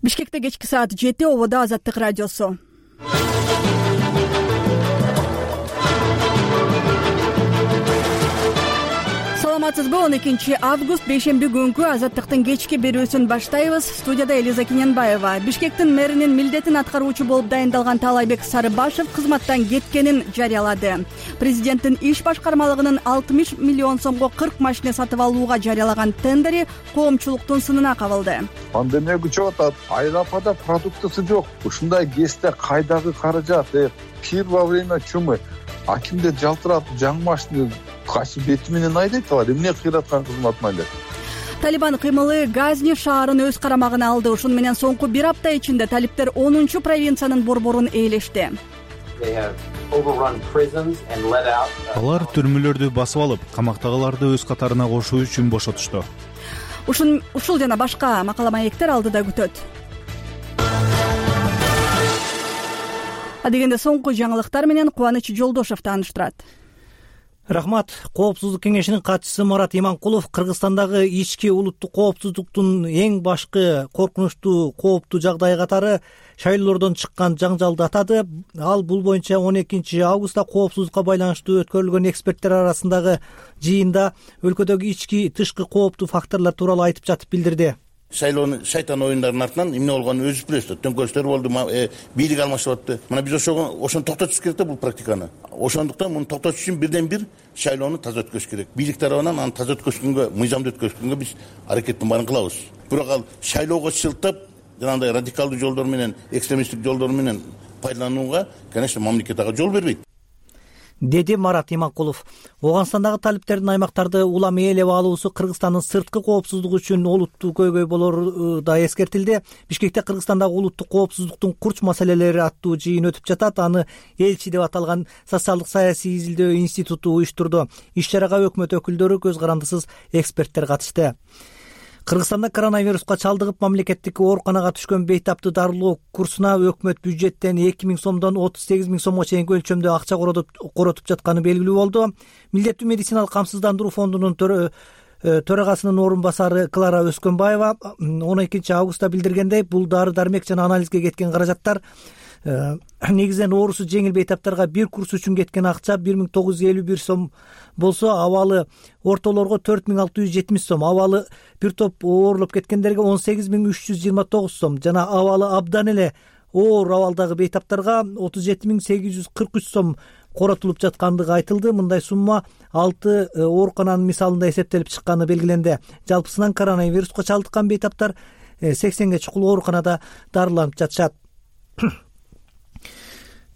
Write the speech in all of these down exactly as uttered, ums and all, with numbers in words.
Бишкекте кечки саат жети, ободо Азаттык радиосу. Саламатсызбы? он экинчи август бейшемби күнкү Азаттыктын кечки берүүсүн баштайбыз. Студияда Элиза Кененбаева. Бишкектин мэринин милдетин аткаруучу болуп дайындалган Таалайбек Сарыбашев кызматтан кеткенин жарыялады. Президенттин иш башкармалыгынын алтымыш миллион сомго кырк машина сатып алууга жарыялаган тендери коомчулуктун сынына кабылды. Пандемия күчөп атат, Айрапада продуктысы жок. Ушундай кезде кайдагы каражат? Пир во время чумы. Акимде жалтырап жаңы машина качы бети менен айдайт алар. Эмне кыйраткан кызматын айдайт? Талибан кыймылы Газни шаарын өз карамагына алды. Ушун менен соңку бир апта ичинде талиптер онунчу провинциянын борборун ээлешти. Алар түрмөлөрдү басып алып, камактагыларды өз катарына кошуу үчүн бошотушту. Ушун ушул жана башка макала маектер алдыда күтөт. Адегенде соңку жаңылыктар менен Кубаныч Жолдошев тааныштырат. Рахмат. Коопсуздук кеңешинин катчысы Марат Иманкулов Кыргызстандагы ички улуттук коопсуздуктун эң башкы коркунучтуу кооптуу жагдайы катары шайлоолордон чыккан жаңжалды атады. Ал бул боюнча он экинчи августта коопсуздукка байланыштуу өткөрүлгөн эксперттер арасындагы жыйында өлкөдөгү ички тышкы кооптуу факторлор тууралуу айтып жатып билдирди. Шайлоонун шайтан оюндарынын артынан эмне болгонун өзүбүз билебиз. Төңкөрүштөр болду, бийлик алмашып атты. Мына биз ошого ошону токтотуш керек да бул практиканы. Ошондуктан муну токтотуш үчүн бирден бир шайлоону таза өткөзүш керек. Бийлик тарабынан аны таза өткөзгөнгө, мыйзамдуу өткөзгөнгө биз аракеттин баарын кылабыз. Бирок ал шайлоого шылтап, жанагындай радикалдуу жолдор менен, экстремисттик жолдор менен пайдаланууга, конечно, мамлекет ага жол бербейт, деди Марат Иманкулов. Ооганстандагы талиптердин аймактарды улам ээлеп алуусу Кыргызстандын сырткы коопсуздугу үчүн олуттуу көйгөй болору да эскертилди. Бишкекте Кыргызстандагы улуттук коопсуздуктун курч маселелери аттуу жыйын өтүп жатат. Аны элчи деп аталган социалдык саясий изилдөө институту уюштурду. Иш чарага өкмөт өкүлдөрү, көз карандысыз эксперттер катышты. Кыргызстанда коронавируска чалдыгып мамлекеттик ооруканага түшкөн бейтаптуу дарылоо курсуна өкмөт бюджеттен эки миң сомдон отуз сегиз миң сомго чейинки өлчөмдө акча коротуп жатканы белгилүү болду. Милдеттүү медициналык камсыздандыруу фондунун төрагасынын орун басары Клара Өскөнбаева он экинчи августта билдиргендей, бул дары дармек жана анализге кеткен каражаттар негизинен оорусу жеңил бейтаптарга бир курс үчүн кеткен акча бир миң тогуз жүз элүү бир сом болсо, абалы ортолорго төрт миң алты жүз жетимиш сом, абалы бир топ ооруп кеткендерге он сегиз миң үч жүз жыйырма тогуз сом жана абалы абдан эле оор абалдагы бейтаптарга отуз жети миң сегиз жүз кырк үч сом коротулуп жаткандыгы айтылды. Мындай сумма алты оорукананын мисалында эсептелип чыкканы белгиленди. Жалпысынан коронавируска чалдыккан бейтаптар сексенге чукул ооруканада дарыланып жатышат.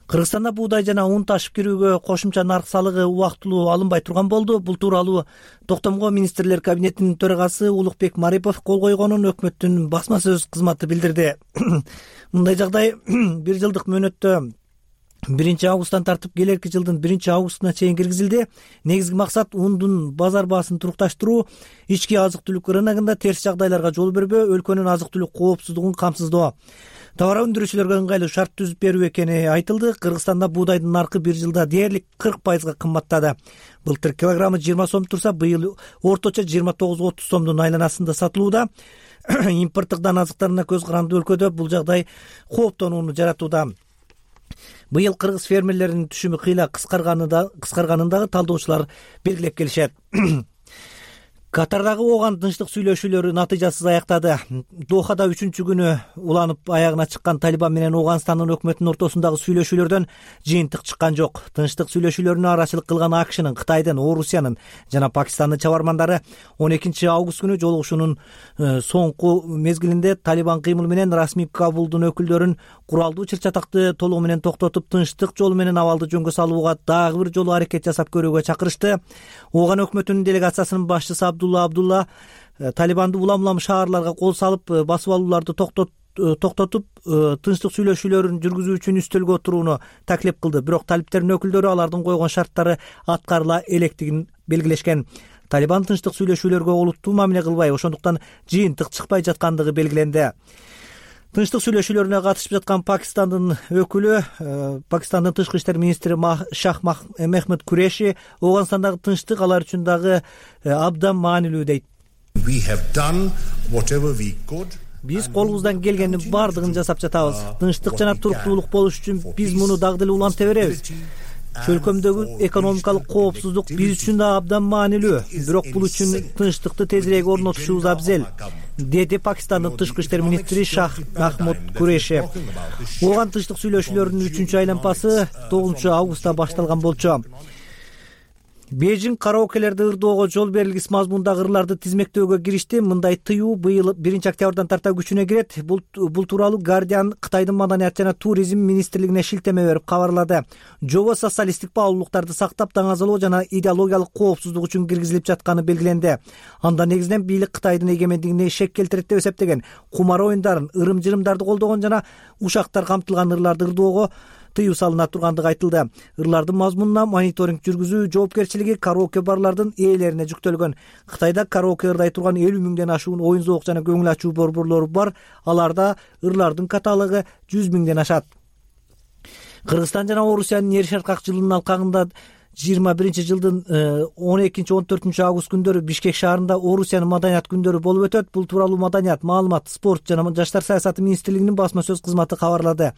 Кыргызстанда буудай жана ун ташып кирүүгө кошумча нарк салыгы убактылуу алынбай турган болду. Бул тууралуу токтомго министрлер кабинетинин төрагасы Улукбек Марипов кол койгонун өкмөттүн басма сөз кызматы билдирди. Мындай жагдай бир жылдык мөөнөттө биринчи августтан тартып келерки жылдын биринчи августуна чейин киргизилди. Негизги максат ундун базар баасын турукташтыруу, ички азык-түлүк рыногунда терс жагдайларга жол бербөө, өлкөнүн азык-түлүк коопсуздугун камсыздоо. Товар өндүрүүчүлөргө ыңгайлуу шарт түзүп берүү экени айтылды. Кыргызстанда буудайдын наркы бир жылда дээрлик кырк пайызга кымбаттады. Былтыр килограммы жыйырма сом турса, быйыл орточо жыйырма тогуз отуз сомдун айланасында сатылууда. Импорттук дан азыктарына көз каранды өлкөдө бул жагдай кооптонууну жаратууда. Быйыл кыргыз фермерлеринин түшүмү кыйла кыскарганындагы талдоочулар белгилеп келишет. Катардагы ооган тынчтык сүйлөшүүлөрү натыйжасыз аяктады. Дохада үчүнчү күнү уланып аягына чыккан Талибан менен Ооганстандын өкмөтүнүн ортосундагы сүйлөшүүлөрдөн жыйынтык чыккан жок. Тынчтык сүйлөшүүлөрүнө арачылык кылган АКШнын, Кытайдын, Орусиянын жана Пакистандын чабармандары он экинчи август күнү жолугушуунун соңку мезгилинде Талибан кыймыл менен расмий Кабулдун өкүлдөрүн куралдуу чыр-чатакты толугу менен токтотуп, тынчтык жолу менен абалды жөнгө салууга дагы бир жолу аракет жасап көрүүгө чакырышты. Ооган өкмөтүнүн делегациясынын башчысы Абдулла Абдулла Талибанды улам-улам шаарларга кол салып, басып алууларды токтотуп, тынчтык сүйлөшүүлөрүн жүргүзүү үчүн үстөлгө отурууну таклип кылды. Бирок талиптердин өкүлдөрү алардын койгон шарттары аткарыла электигин белгилешкен. Талибан тынчтык сүйлөшүүлөргө олуттуу мамиле кылбай, ошондуктан жыйынтык чыкпай жаткандыгы белгиленди. Тынчтык сүйлөшүүлөрүнө катышып жаткан Пакистандын өкүлү, Пакистандын тышкы иштер министри Шах Мехмед Куреши Ооганстандагы тынчтык алар үчүн дагы абдан маанилүү дейт. Биз колубуздан келгендин баардыгын жасап жатабыз. Тынчтык жана туруктуулук болуш үчүн биз муну дагы деле уланта беребиз. Чөлкөмдөгү экономикалык коопсуздук биз үчүн да абдан маанилүү, бирок бул үчүн тынчтыкты тезирээк орнотушубуз абзел, деди Пакистандын тышкы иштер министри Шах Махмуд Куреши. Оған тынчтык сүйлөшүүлөрүнүн үчүнчү айланпасы тогузунчу августта башталган болчу. Бейжиң караокелерди ырдоого жол берилгис мазмундагы ырларды тизмектөөгө киришти. Мындай тыюу быйыл биринчи октябрдан тарта күчүнө кирет. Бул бул тууралуу Guardian Кытайдын маданият жана туризм министрлигине шилтеме берип кабарлады. Жобо социалисттик баалуулуктарды сактап, даңазалоо жана идеологиялык коопсуздук үчүн киргизилип жатканы белгиленди. Анда негизинен бийлик Кытайдын эгемендигине шек келтирет деп эсептеген, кумар оюндарын, ырым-жырымдарды колдогон жана ушактар камтылган ырларды ырдоого тыюу салына тургандыгы айтылды. Ырлардын мазмунуна мониторинг жүргүзүү жоопкерчилиги караоке барлардын ээлерине жүктөлгөн. Кытайда караоке ырдай турган элүү миңден ашуун оюн зоок жана көңүл ачуу борборлору бар. Аларда ырлардын каталогу жүз миңден ашат. Кыргызстан жана Орусиянын Ер Шаркак жылынын алкагында жыйырма биринчи жылдын он экинчи он төртүнчү август күндөрү Бишкек шаарында Орусиянын маданият күндөрү болуп өтөт. Бул тууралуу Маданият, маалымат, спорт жана жаштар саясаты министрлигинин басма сөз кызматы кабарлады.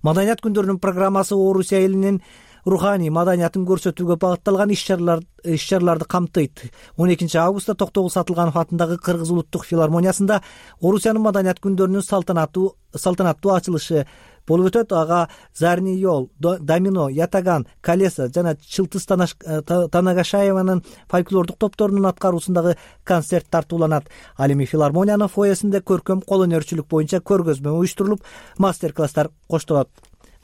Маданият күндөрүнүн программасы Орусия элинин руханий маданиятын көрсөтүүгө багытталган иш-чаралар иш-чараларды камтыйт. он экинчи августта Токтогул Сатылганов атындагы Кыргыз улуттук филармониясында Орусиянын маданият күндөрүнүн салтанаттуу салтанаттуу ачылышы болуп өтөт. Ага Зарни Йол, Домино, Ятаган, Колеса жана Чылтыс Танагашаеванын фольклордук топторунун аткаруусундагы концерт тартууланат. Ал эми филармониянын фойесинде көркөм кол өнөрчүлүк боюнча көргөзмө уюштурулуп, мастер-класстар коштолот.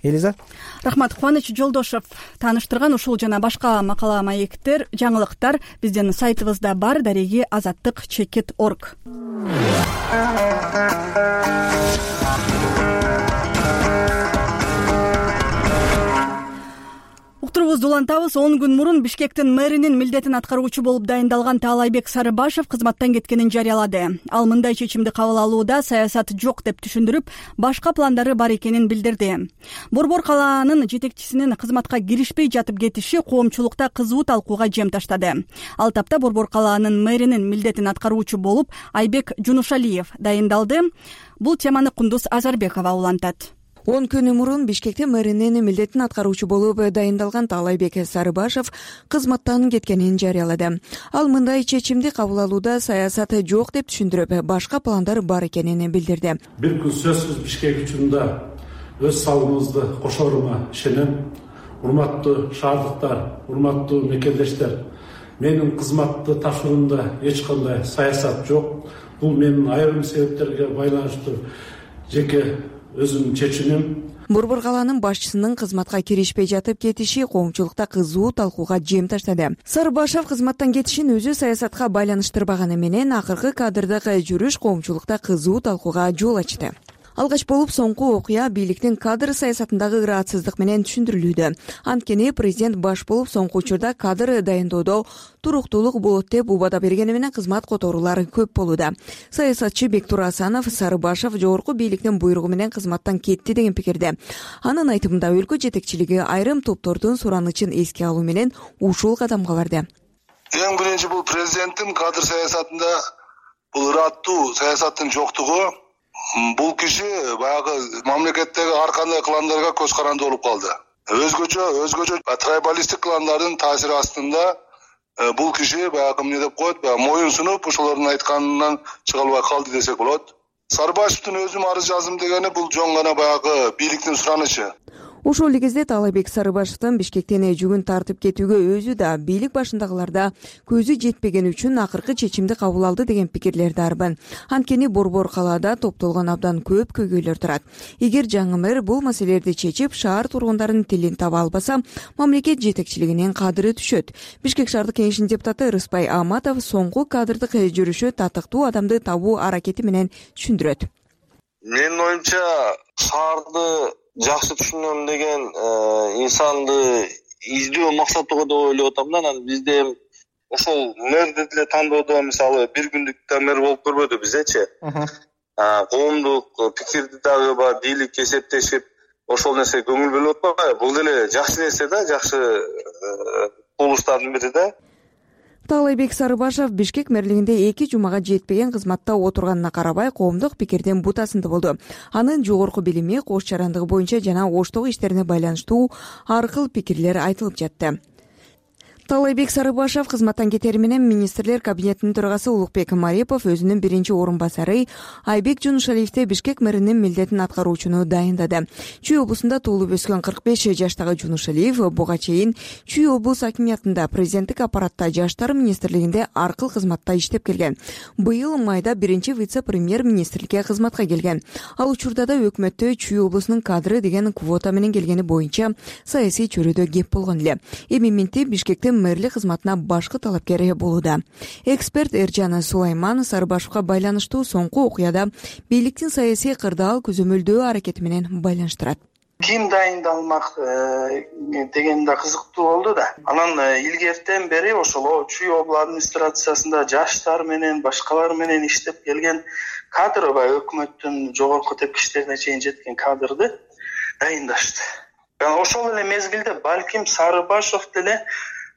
Элиза. Рахмат. Кубаныч Жолдошев тааныштырган ушул жана башка макала маектер, жаңылыктар биздин сайтыбызда бар. Дареги азаттык чекит орг. Уктурубузду улантабыз. он күн мурун Бишкектин мэринин милдетин аткаруучу болуп дайындалган Таалайбек Сарыбашев кызматтан кеткенин жарыялады. Ал мындай чечимди кабыл алууда саясат жок деп түшүндүрүп, башка пландары бар экенин билдирди. Борбор калаанын жетекчисинин кызматка киришпей жатып кетиши коомчулукта кызуу талкууга жем таштады. Ал тапта Борбор калаанын мэринин милдетин аткаруучу болуп Айбек Жунушалиев дайындалды. Бул теманы Кундуз Азарбекова улантат. он күн мурун Бишкекте мэринин милдетин аткаруучу болуп дайындалган Таалайбек Сарыбашев кызматтан кеткенин жарыялады. Ал мындай чечимди кабыл алууда саясат жок деп түшүндүрүп, башка пландар бар экенин билдирди. Бир күн сөзсүз Бишкек үчүн да өз салымыбызды кошорума ишенем. Урматтуу шаардыктар, урматтуу мекендештер, менин кызматты тапшыруумда эч кандай саясат жок. Бул менин айрым себептерге байланыштуу жеке өзүмдүн чечимим. Борбор калаанын башчысынын кызматка киришпей жатып кетиши коомчулукта кызуу талкууга жем таштады. Сарыбашев кызматтан кетишин өзү саясатка байланыштырбаганы менен акыркы кадрдык жүрүш коомчулукта кызуу талкууга жол ачты. Алгач болуп соңку окуя бийликтин кадр саясатындагы ыраатсыздык менен түшүндүрүлүүдө. Анткени президент баш болуп соңку учурда кадр дайындоодо туруктуулук болот деп убада бергени менен кызмат которуулар көп болууда. Саясатчы Бектур Асанов Сарыбашев жогорку бийликтин буйругу менен кызматтан кетти деген пикирде. Анын айтымында өлкө жетекчилиги айрым топтордун суранычын эске алуу менен ушул кадамга барды. Эң биринчи бул президенттин кадр саясатында бул ырааттуу саясаттын жоктугу. Бул киши баягы мамлекеттеги ар кандай кландарга көз каранды болуп калды. Өзгөчө, өзгөчө трайбалисттик кландардын таасири астында бул киши баягы эмне деп коет, баягы моюн сунуп, ошолордун айтканынан чыга албай калды десек болот. Сарыбашевдин өзүм арыз жаздым дегени бул жөн гана баягы бийликтин суранычы. Ошол эле кезде Таалайбек Сарыбашевдин Бишкектен жүгүн тартып кетүүгө өзү да бийлик башындагыларда көзү жетпеген үчүн акыркы чечимди кабыл алды деген пикирлерди арбын. Анткени Борбор калаада топтолгон абдан көп көйгөйлөр турат. Эгер жаңы мэр бул маселелерди чечип, шаар тургундарынын тилин таба албаса, мамлекет жетекчилигинин кадыры түшөт. Бишкек шаардык кеңешинин депутаты Рыспай Аматов соңку кадрдык жүрүшү татыктуу адамды табуу аракети менен түшүндүрөт. Менин оюмча, шаарды жакшы түшүнөм деген инсанды издөө максатыга да ойлоп атам да. Анан бизде ошол мэрди деле тандоодо мисалы бир күндүк да мэр болуп көрбөдү бизечи. Коомдук пикирди дагы бар, бийлик эсептешип, ошол нерсеге көңүл бөлүп атпайбы? Бул деле жакшы нерсе да, жакшы кубулуштардын бири да. Таалайбек Сарыбашев Бишкек мэрлигинде эки жумага жетпеген кызматта отурганына карабай коомдук пикирдин бутасында болду. Анын жогорку билими, кош жарандыгы боюнча жана оштогу иштерине байланыштуу ар кыл пикирлер айтылып жатты. Таалайбек Сарыбашев кызматтан кетери менен министрлер кабинетинин төрагасы Улукбек Марипов өзүнүн биринчи орун басары Айбек Жунушалиевди Бишкек мэринин милдетин аткаруучуну дайындады. Чүй облусунда туулуп өскөн кырк беш жаштагы Жунушалиев буга чейин Чүй облус акимиятында, президенттик аппаратта, жаштар министрлигинде ар кыл кызматта иштеп келген. Быйыл майда биринчи вице-премьер министрликке кызматка келген. Ал учурда да өкмөттө Чүй облусунун кадры деген квота менен келгени боюнча саясий чөйрөдө кеп болгон эле. Эми минти Бишкекте мэрлик кызматына башкы талапкер болууда. Эксперт Эржан Сулайман Сарыбашевга байланыштуу соңку окуяда бийликтин саясий кырдаал көзөмөлдөө аракети менен байланыштырат. Ким дайындалмак деген да кызыктуу болду да. Анан илгертен бери ошол Чүй облус администрациясында жаштар менен башкалар менен иштеп келген кадр ба өкмөттүн жогорку тепкичтерине чейин жеткен кадрды дайындашты. Ошол эле мезгилде балким Сарыбашев деле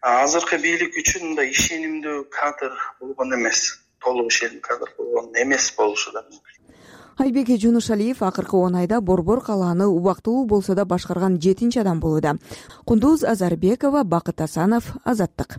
азыркы бийлик үчүн мындай ишенимдүү кадр болгон эмес, толук ишенимдүү кадр болгон эмес болушу да мүмкүн. Айбек Жунушалиев акыркы он айда Борбор калааны убактылуу болсо да башкарган жетинчи адам болууда. Кундуз Азарбекова, Бакыт Асанов, Азаттык.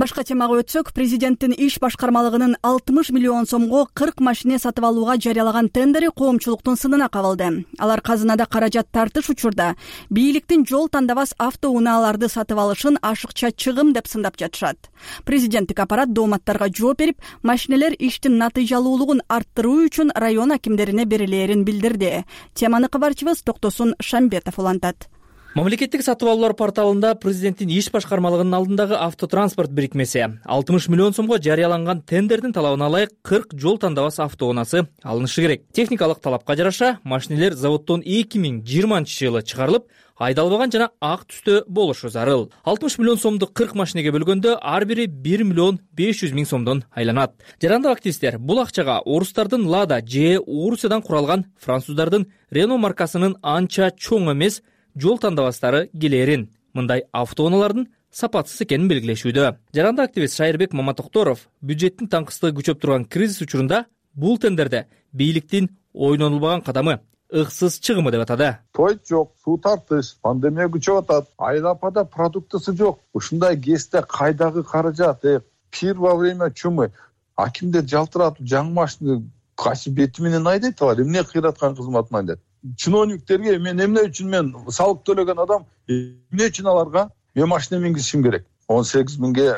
Башка темага өтсөк, президенттин иш башкармалыгынын алтымыш миллион сомго кырк машине сатып алууга жарыялаган тендери коомчулуктун сынына кабылды. Алар казынада каражат тартыш учурда бийликтин жол тандабас автоунааларды сатып алышын ашыкча чыгым деп сындап жатышат. Президенттик аппарат дооматтарга жооп берип, машинелер иштин натыйжалуулугун арттыруу үчүн район акимдерине берилээрин билдирди. Теманы кабарчыбыз Токтосун Шамбетов улантат. Мамлекеттик сатып алуулар порталында президенттин иш башкармалыгынын алдындагы автотранспорт бирикмеси алтымыш миллион сомго жарыяланган тендердин талабына ылайык кырк жол тандабас автоунаасы алынышы керек. Техникалык талапка жараша машинелер заводдон эки миң жыйырманчы жылы чыгарылып, айдалбаган жана ак түстө болушу зарыл. алтымыш миллион сомду кырк машинеге бөлгөндө ар бири бир миллион беш жүз миң сомдон айланат. Жарандык активисттер бул акчага орустардын Лада же Урусиядан куралган француздардын Рено маркасынын анча чоң эмес жол тандабастары келерин, мындай автоунаалардын сапатсыз экенин белгилешүүдө. Жарандык активист Шайырбек Маматокторов бюджеттин таңкыстыгы күчөп турган кризис учурунда бул тендерде бийликтин ойнонулбаган кадамы, ыксыз чыгымы деп атады. Той жок, суу тартыш, пандемия күчөп атат, айыл-апада продуктысы жок. Ушундай кезде кайдагы каражат? Пир во время чумы акимдер жалтыратып жаңы машина кайсы бети менен айдайт алар? Эмне кыйраткан кызматын айдайт? Чиновниктерге мен эмне үчүн мен салык төлөгөн адам эмне үчүн аларга мен машина мингизишим керек? он сегиз миңге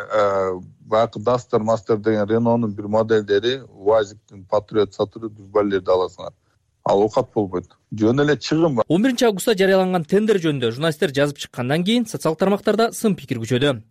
баягы Duster Master деген Renault'нун бир моделдери, УАЗиктин Patriot Saturn дүрбалерди аласыңар. Ал окат болбойт. Жөн эле чыгым. он биринчи августта жарыяланган тендер жөнүндө журналисттер жазып чыккандан кийин социалдык тармактарда сын пикир күчөдү.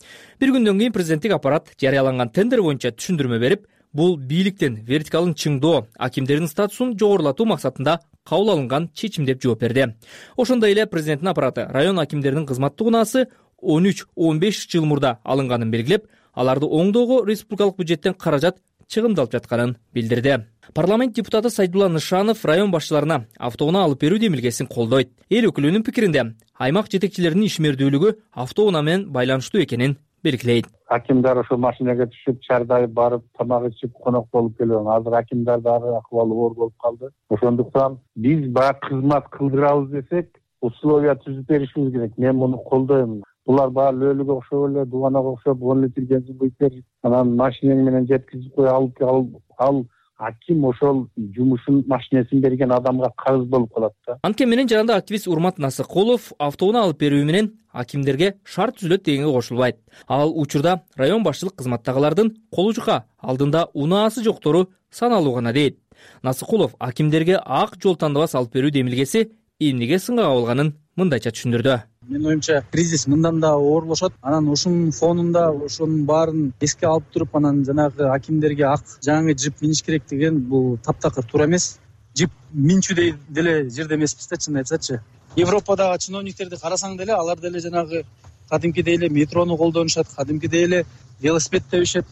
Бир күндөн кийин президенттик аппарат жарыяланган тендер боюнча түшүндүрмө берип, бул бийликтин вертикалын чыңдоо, акимдердин статусун жогорулатуу максатында кабыл алынган чечим деп жооп берди. Ошондой эле президенттин аппараты район акимдеринин кызматтык унаасы он үч он беш жыл мурда алынганын белгилеп, аларды оңдоого республикалык бюджеттен каражат чыгымдалып жатканын билдирди. Парламент депутаты Сайдулла Нышанов район башчыларына автоунаа алып берүү демилгесин колдойт. Эл өкүлүнүн пикиринде аймак жетекчилеринин ишмердүүлүгү автоунаа менен байланыштуу экенин белгилейт. Акимдар ошо машинеге түшүп, чардай барып, тамак ичип, конок болуп келген. Азыр акимдардагы акыбалы оор болуп калды. Ошондуктан биз баягы кызмат кылдырабыз десек, условия түзүп беришибиз керек. Мен муну колдойм. Булар баары лөлүгө окшоп эле, дубанага окшоп, он литр бензин куюп бер, анан машинең менен жеткизип кой, алып ал аким ошол жумушун машинесин берген адамга карыз болуп калат да. Анткени менен жарандык активист Урмат Насыкулов автоунаа алып берүү менен акимдерге шарт түзүлөт дегенге кошулбайт. Ал учурда район башчылык кызматтагылардын колу жука алдында унаасы жоктору саналуу гана дейт. Насыкулов акимдерге ак жол тандабас алып берүү демилгеси эмнеге сынга кабылганын мындайча түшүндүрдү. Менин оюмча кризис мындан да оорлошот. Анан ушунун фонунда ошонун баарын эске алып туруп, анан жанагы акимдерге ак жаңы джип миниш керек деген бул таптакыр туура эмес. Джип минчүдөй деле жерде эмеспиз да, чынын айтсачы. Европадагы чиновниктерди карасаң деле алар деле жанагы кадимкидей эле метрону колдонушат, кадимкидей эле велосипед тебишет.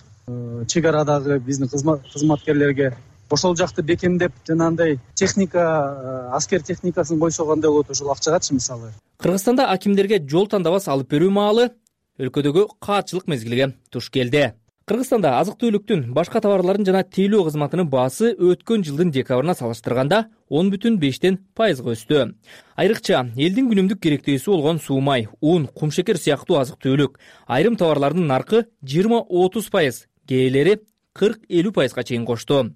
Чек арадагы биздин кызматкерлерге ошол жакты бекемдеп жанагындай техника, аскер техникасын койсо кандай болот, ошол акчагачы мисалы. Кыргызстанда акимдерге жол тандабас алып берүү маалы өлкөдөгү каатчылык мезгилиге туш келди. Кыргызстанда азык-түлүктүн, башка товарлардын жана тейлөө кызматынын баасы өткөн жылдын декабрына салыштырганда он бүтүн бештен пайызга өстү. Айрыкча элдин күнүмдүк керектөөсү болгон суу май, ун, кумшекер сыяктуу азык-түлүк, айрым товарлардын наркы жыйырма отуз пайыз, кээделери кырк элүү пайызга чейин кошту.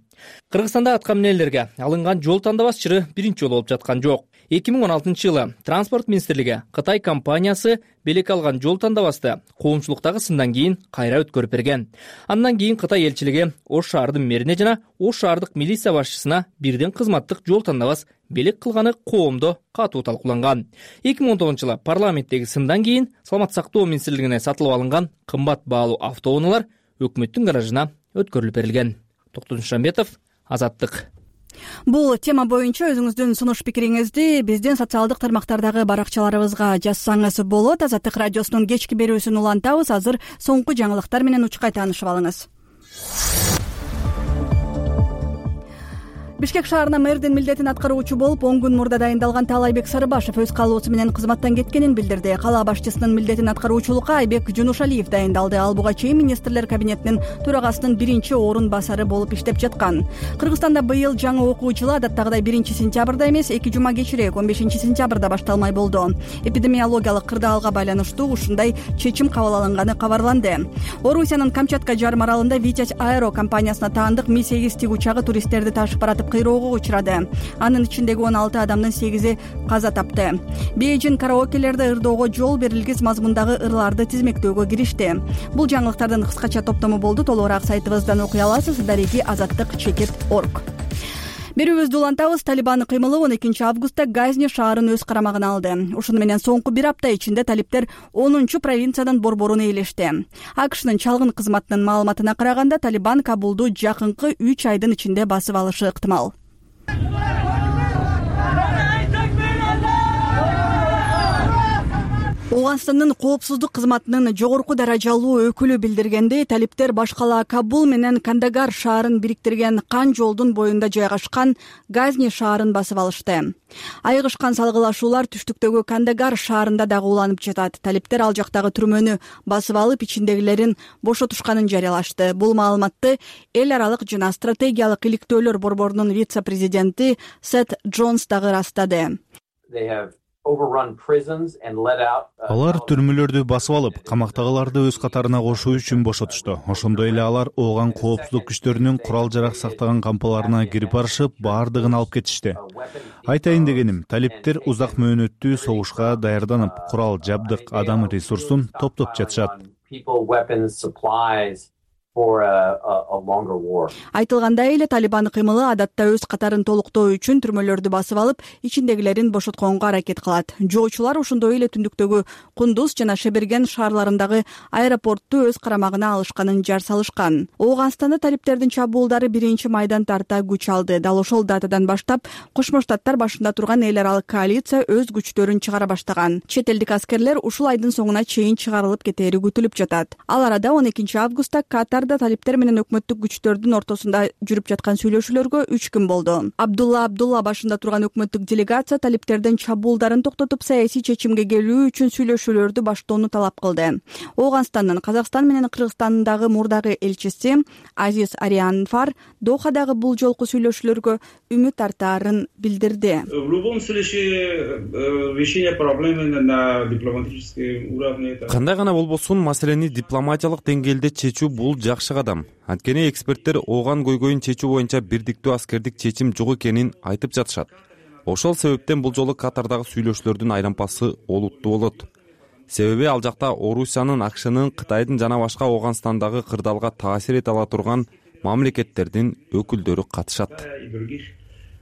Кыргызстанда атка минелерге алынган жол тандабас чыры биринчи жолу болуп жаткан жок. эки миң он алтынчы жылы Транспорт министрлиги Кытай компаниясы белек алган жол тандабасты коомчулуктагы сындан кийин кайра өткөрүп берген. Андан кийин Кытай элчилиги Ош шаардын мэрине жана Ош шаардык милиция башчысына бирден кызматтык жол тандабас белек кылганы коомдо катуу талкууланган. эки миң он тогузунчу жылы парламенттеги сындан кийин Саламаттык сактоо министрлигине сатылып алынган кымбат баалуу автоунаалар өкмөттүн гаражына өткөрүлүп берилген. Токтон Шамбетов, Азаттык. Бул тема боюнча өзүңүздүн сунуш пикириңизди биздин социалдык тармактардагы баракчаларыбызга жазсаңыз болот. Азаттык радиосунун кечки берүүсүн улантабыз. Азыр соңку жаңылыктар менен учкай таанышып алыңыз. Бишкек шаарына мэрдин милдетин аткаруучу болуп он күн мурда дайындалган Таалайбек Сарыбашев өз каалоосу менен кызматтан кеткенин билдирди. Кала башчысынын милдетин аткаруучулукка Айбек Жунушалиев дайындалды. Ал буга чейин министрлер кабинетинин төрагасынын биринчи орун басары болуп иштеп жаткан. Кыргызстанда быйыл жаңы окуу жылы адаттагыдай биринчи сентябрда эмес, эки жума кечирээк он бешинчи сентябрда башталмай болду. Эпидемиологиялык кырдаалга байланыштуу ушундай чечим кабыл алынганы кабарланды. Орусиянын Камчатка жарым аралында Витязь Аэро компаниясына таандык Ми сегиз тигучагы туристтерди ташып баратып кыйроого учурады. Анын ичиндеги он алты адамдын сегизи каза тапты. Бейжин караокелерде ырдоого жол берилгис мазмундагы ырларды тизмектөөгө киришти. Бул жаңылыктардын кыскача топтому болду. Толугураак сайтыбыздан окуй аласыз. Дареги азаттык чекит орг. Берүүбүздү улантабыз. Талибан кыймылы он экинчи августта Газни шаарын өз карамагына алды. Ушуну менен соңку бир апта ичинде талиптер онунчу провинциянын борборун ээлешти. АКШнын чалгын кызматынын маалыматына караганда Талибан Кабулду жакынкы үч айдын ичинде басып алышы ыктымал. Ооганстандын коопсуздук кызматынын жогорку даражалуу өкүлү билдиргендей, талиптер башкала Кабул менен Кандагар шаарын бириктирген кан жолдун боюнда жайгашкан Газни шаарын басып алышты. Айыгышкан салгылашуулар түштүктөгү Кандагар шаарында дагы уланып жатат. Талиптер ал жактагы түрмөнү басып алып, ичиндегилерин бошотушканын жарыялашты. Бул маалыматты эл аралык жана стратегиялык иликтөөлөр борборунун вице-президенти Сет Джонс дагы ырастады. Алар түрмөлөрдү басып алып, камактагыларды өз катарына кошуу үчүн бошотушту. Ошондой эле алар ооган коопсуздук күчтөрүнүн курал-жарак сактаган кампаларына кирип барышып, баардыгын алып кетишти. Айтайын дегеним, талиптер узак мөөнөттүү согушка даярданып, курал-жабдык, адам ресурсун топтоп жатышат. Айтылгандай эле Талибан кыймылы адатта өз катарын толуктоо үчүн түрмөлөрдү басып алып, ичиндегилерин бошотконго аракет кылат. Жоочулар ошондой эле түндүктөгү Кундуз жана Шеберген шаарларындагы аэропортту өз карамагына алышканын жар салышкан. Ооганстанда талиптердин чабуулдары биринчи майдан тарта күч алды. Дал ошол датадан баштап Кошмо Штаттар башында турган эл аралык коалиция өз күчтөрүн чыгара баштаган. Чет элдик аскерлер ушул айдын соңуна чейин чыгарылып кетери күтүлүп жатат. Ал арада он экинчи августта Катар талиптер менен өкмөттүк күчтөрдүн ортосунда жүрүп жаткан сүйлөшүүлөргө үч күн болду. Абдулла Абдулла башында турган өкмөттүк делегация талиптердин чабуулдарын токтотуп, саясий чечимге келүү үчүн сүйлөшүүлөрдү баштоону талап кылды. Ооганстандын Казакстан менен Кыргызстандагы мурдагы элчиси Азиз Арианфар Дохадагы бул жолку сүйлөшүүлөргө үмүт артаарын билдирди. В любом случае решение проблемы на дипломатическом уровне. Кандай гана болбосун, маселени дипломатиялык деңгээлде чечүү бул жакшы кадам. Анткени эксперттер ооган көйгөйүн чечүү боюнча бирдиктүү аскердик чечим жок экенин айтып жатышат. Ошол себептен бул жолу Катардагы сүйлөшүүлөрдүн айлампасы олуттуу болот. Себеби ал жакта Орусиянын, АКШнын, Кытайдын жана башка Ооганстандагы кырдаалга таасир эте ала турган мамлекеттердин өкүлдөрү катышат.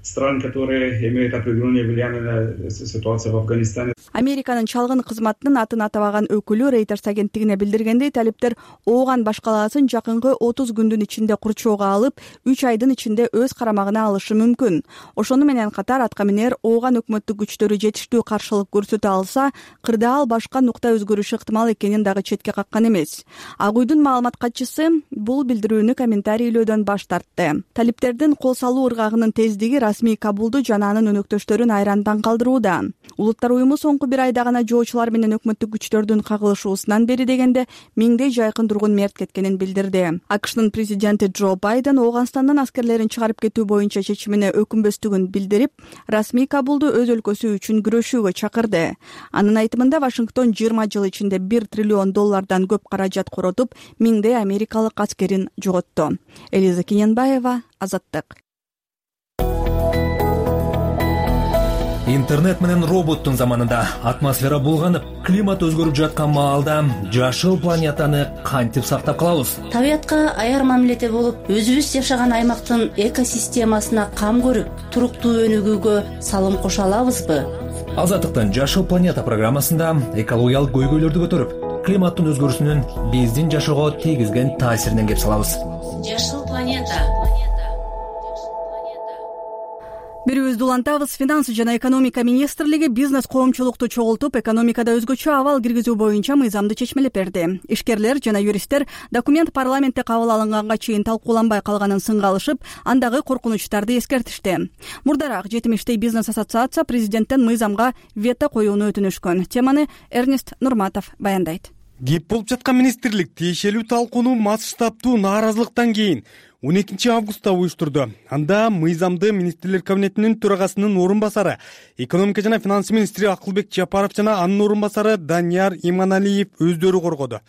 Стран, которые имеют определенное влияние на ситуацию в Афганистане. Американын чалгын кызматынын атын атабаган өкүлү Reuters агенттигине билдиргендей, талиптер ооган башкалаасын жакынкы отуз күндүн ичинде курчоого алып, үч айдын ичинде өз карамагына алышы мүмкүн. Ошону менен катар атка минер ооган өкмөттүк күчтөрү жетиштүү каршылык көрсөтө алса, кырдаал башка нукта өзгөрүшү ыктымал экенин дагы четке каккан эмес. Ак үйдүн маалымат катчысы бул билдирүүнү комментарийлөөдөн баш тартты. Талиптердин кол салуу ыргагынын тездиги расмий Кабулду жана анын өнөктөштөрүн айрандан калтырууда. Улуттар уюму соңку бир айда гана жоочулар менен өкмөттүк күчтөрдүн кагылышуусунан бери дегенде миңдей жайкын тургун мерт кеткенин билдирди. АКШнын президенти Джо Байден Ооганстандан аскерлерин чыгарып кетүү боюнча чечимине өкүнбөстүгүн билдирип, расмий Кабулду өз өлкөсү үчүн күрөшүүгө чакырды. Анын айтымында Вашингтон жыйырма жыл ичинде бир триллион доллардан көп каражат коротуп, миңдей америкалык аскерин жоготту. Элиза Киненбаева, Азаттык. Интернет менен роботтун заманында атмосфера булганып, климат өзгөрүп жаткан маалда жашыл планетаны кантип сактап калабыз? Табиятка аяр мамиледе болуп, өзүбүз жашаган аймактын экосистемасына кам көрүп, туруктуу өнүгүүгө салым кошо алабызбы? Азаттыктын Жашыл планета программасында экологиялык көйгөйлөрдү көтөрүп, климаттын өзгөрүүсүнүн биздин жашоого тийгизген таасиринен кеп салабыз. Жашыл планета. Берүүбүздү улантабыз. Финанс жана экономика министрлиги бизнес коомчулукту чогултуп, экономикада өзгөчө абал киргизүү боюнча мыйзамды чечмелеп берди. Ишкерлер жана юристтер документ парламентте кабыл алынганга чейин талкууланбай калганын сынга алышып, андагы коркунучтарды эскертишти. Мурдараак жетим иштей бизнес ассоциация президенттен мыйзамга вето коюуну өтүнүшкөн. Теманы Эрнест Нурматов баяндайт. Кеп болуп жаткан министрлик тиешелүү талкууну масштабтуу нааразылыктан кийин он экинчи августта уюштурду. Анда мыйзамды министрлер кабинетинин төрагасынын орун басары, экономика жана финанс министри Акылбек Жапаров жана анын орун басары Данияр Иманалиев өздөрү коргоду.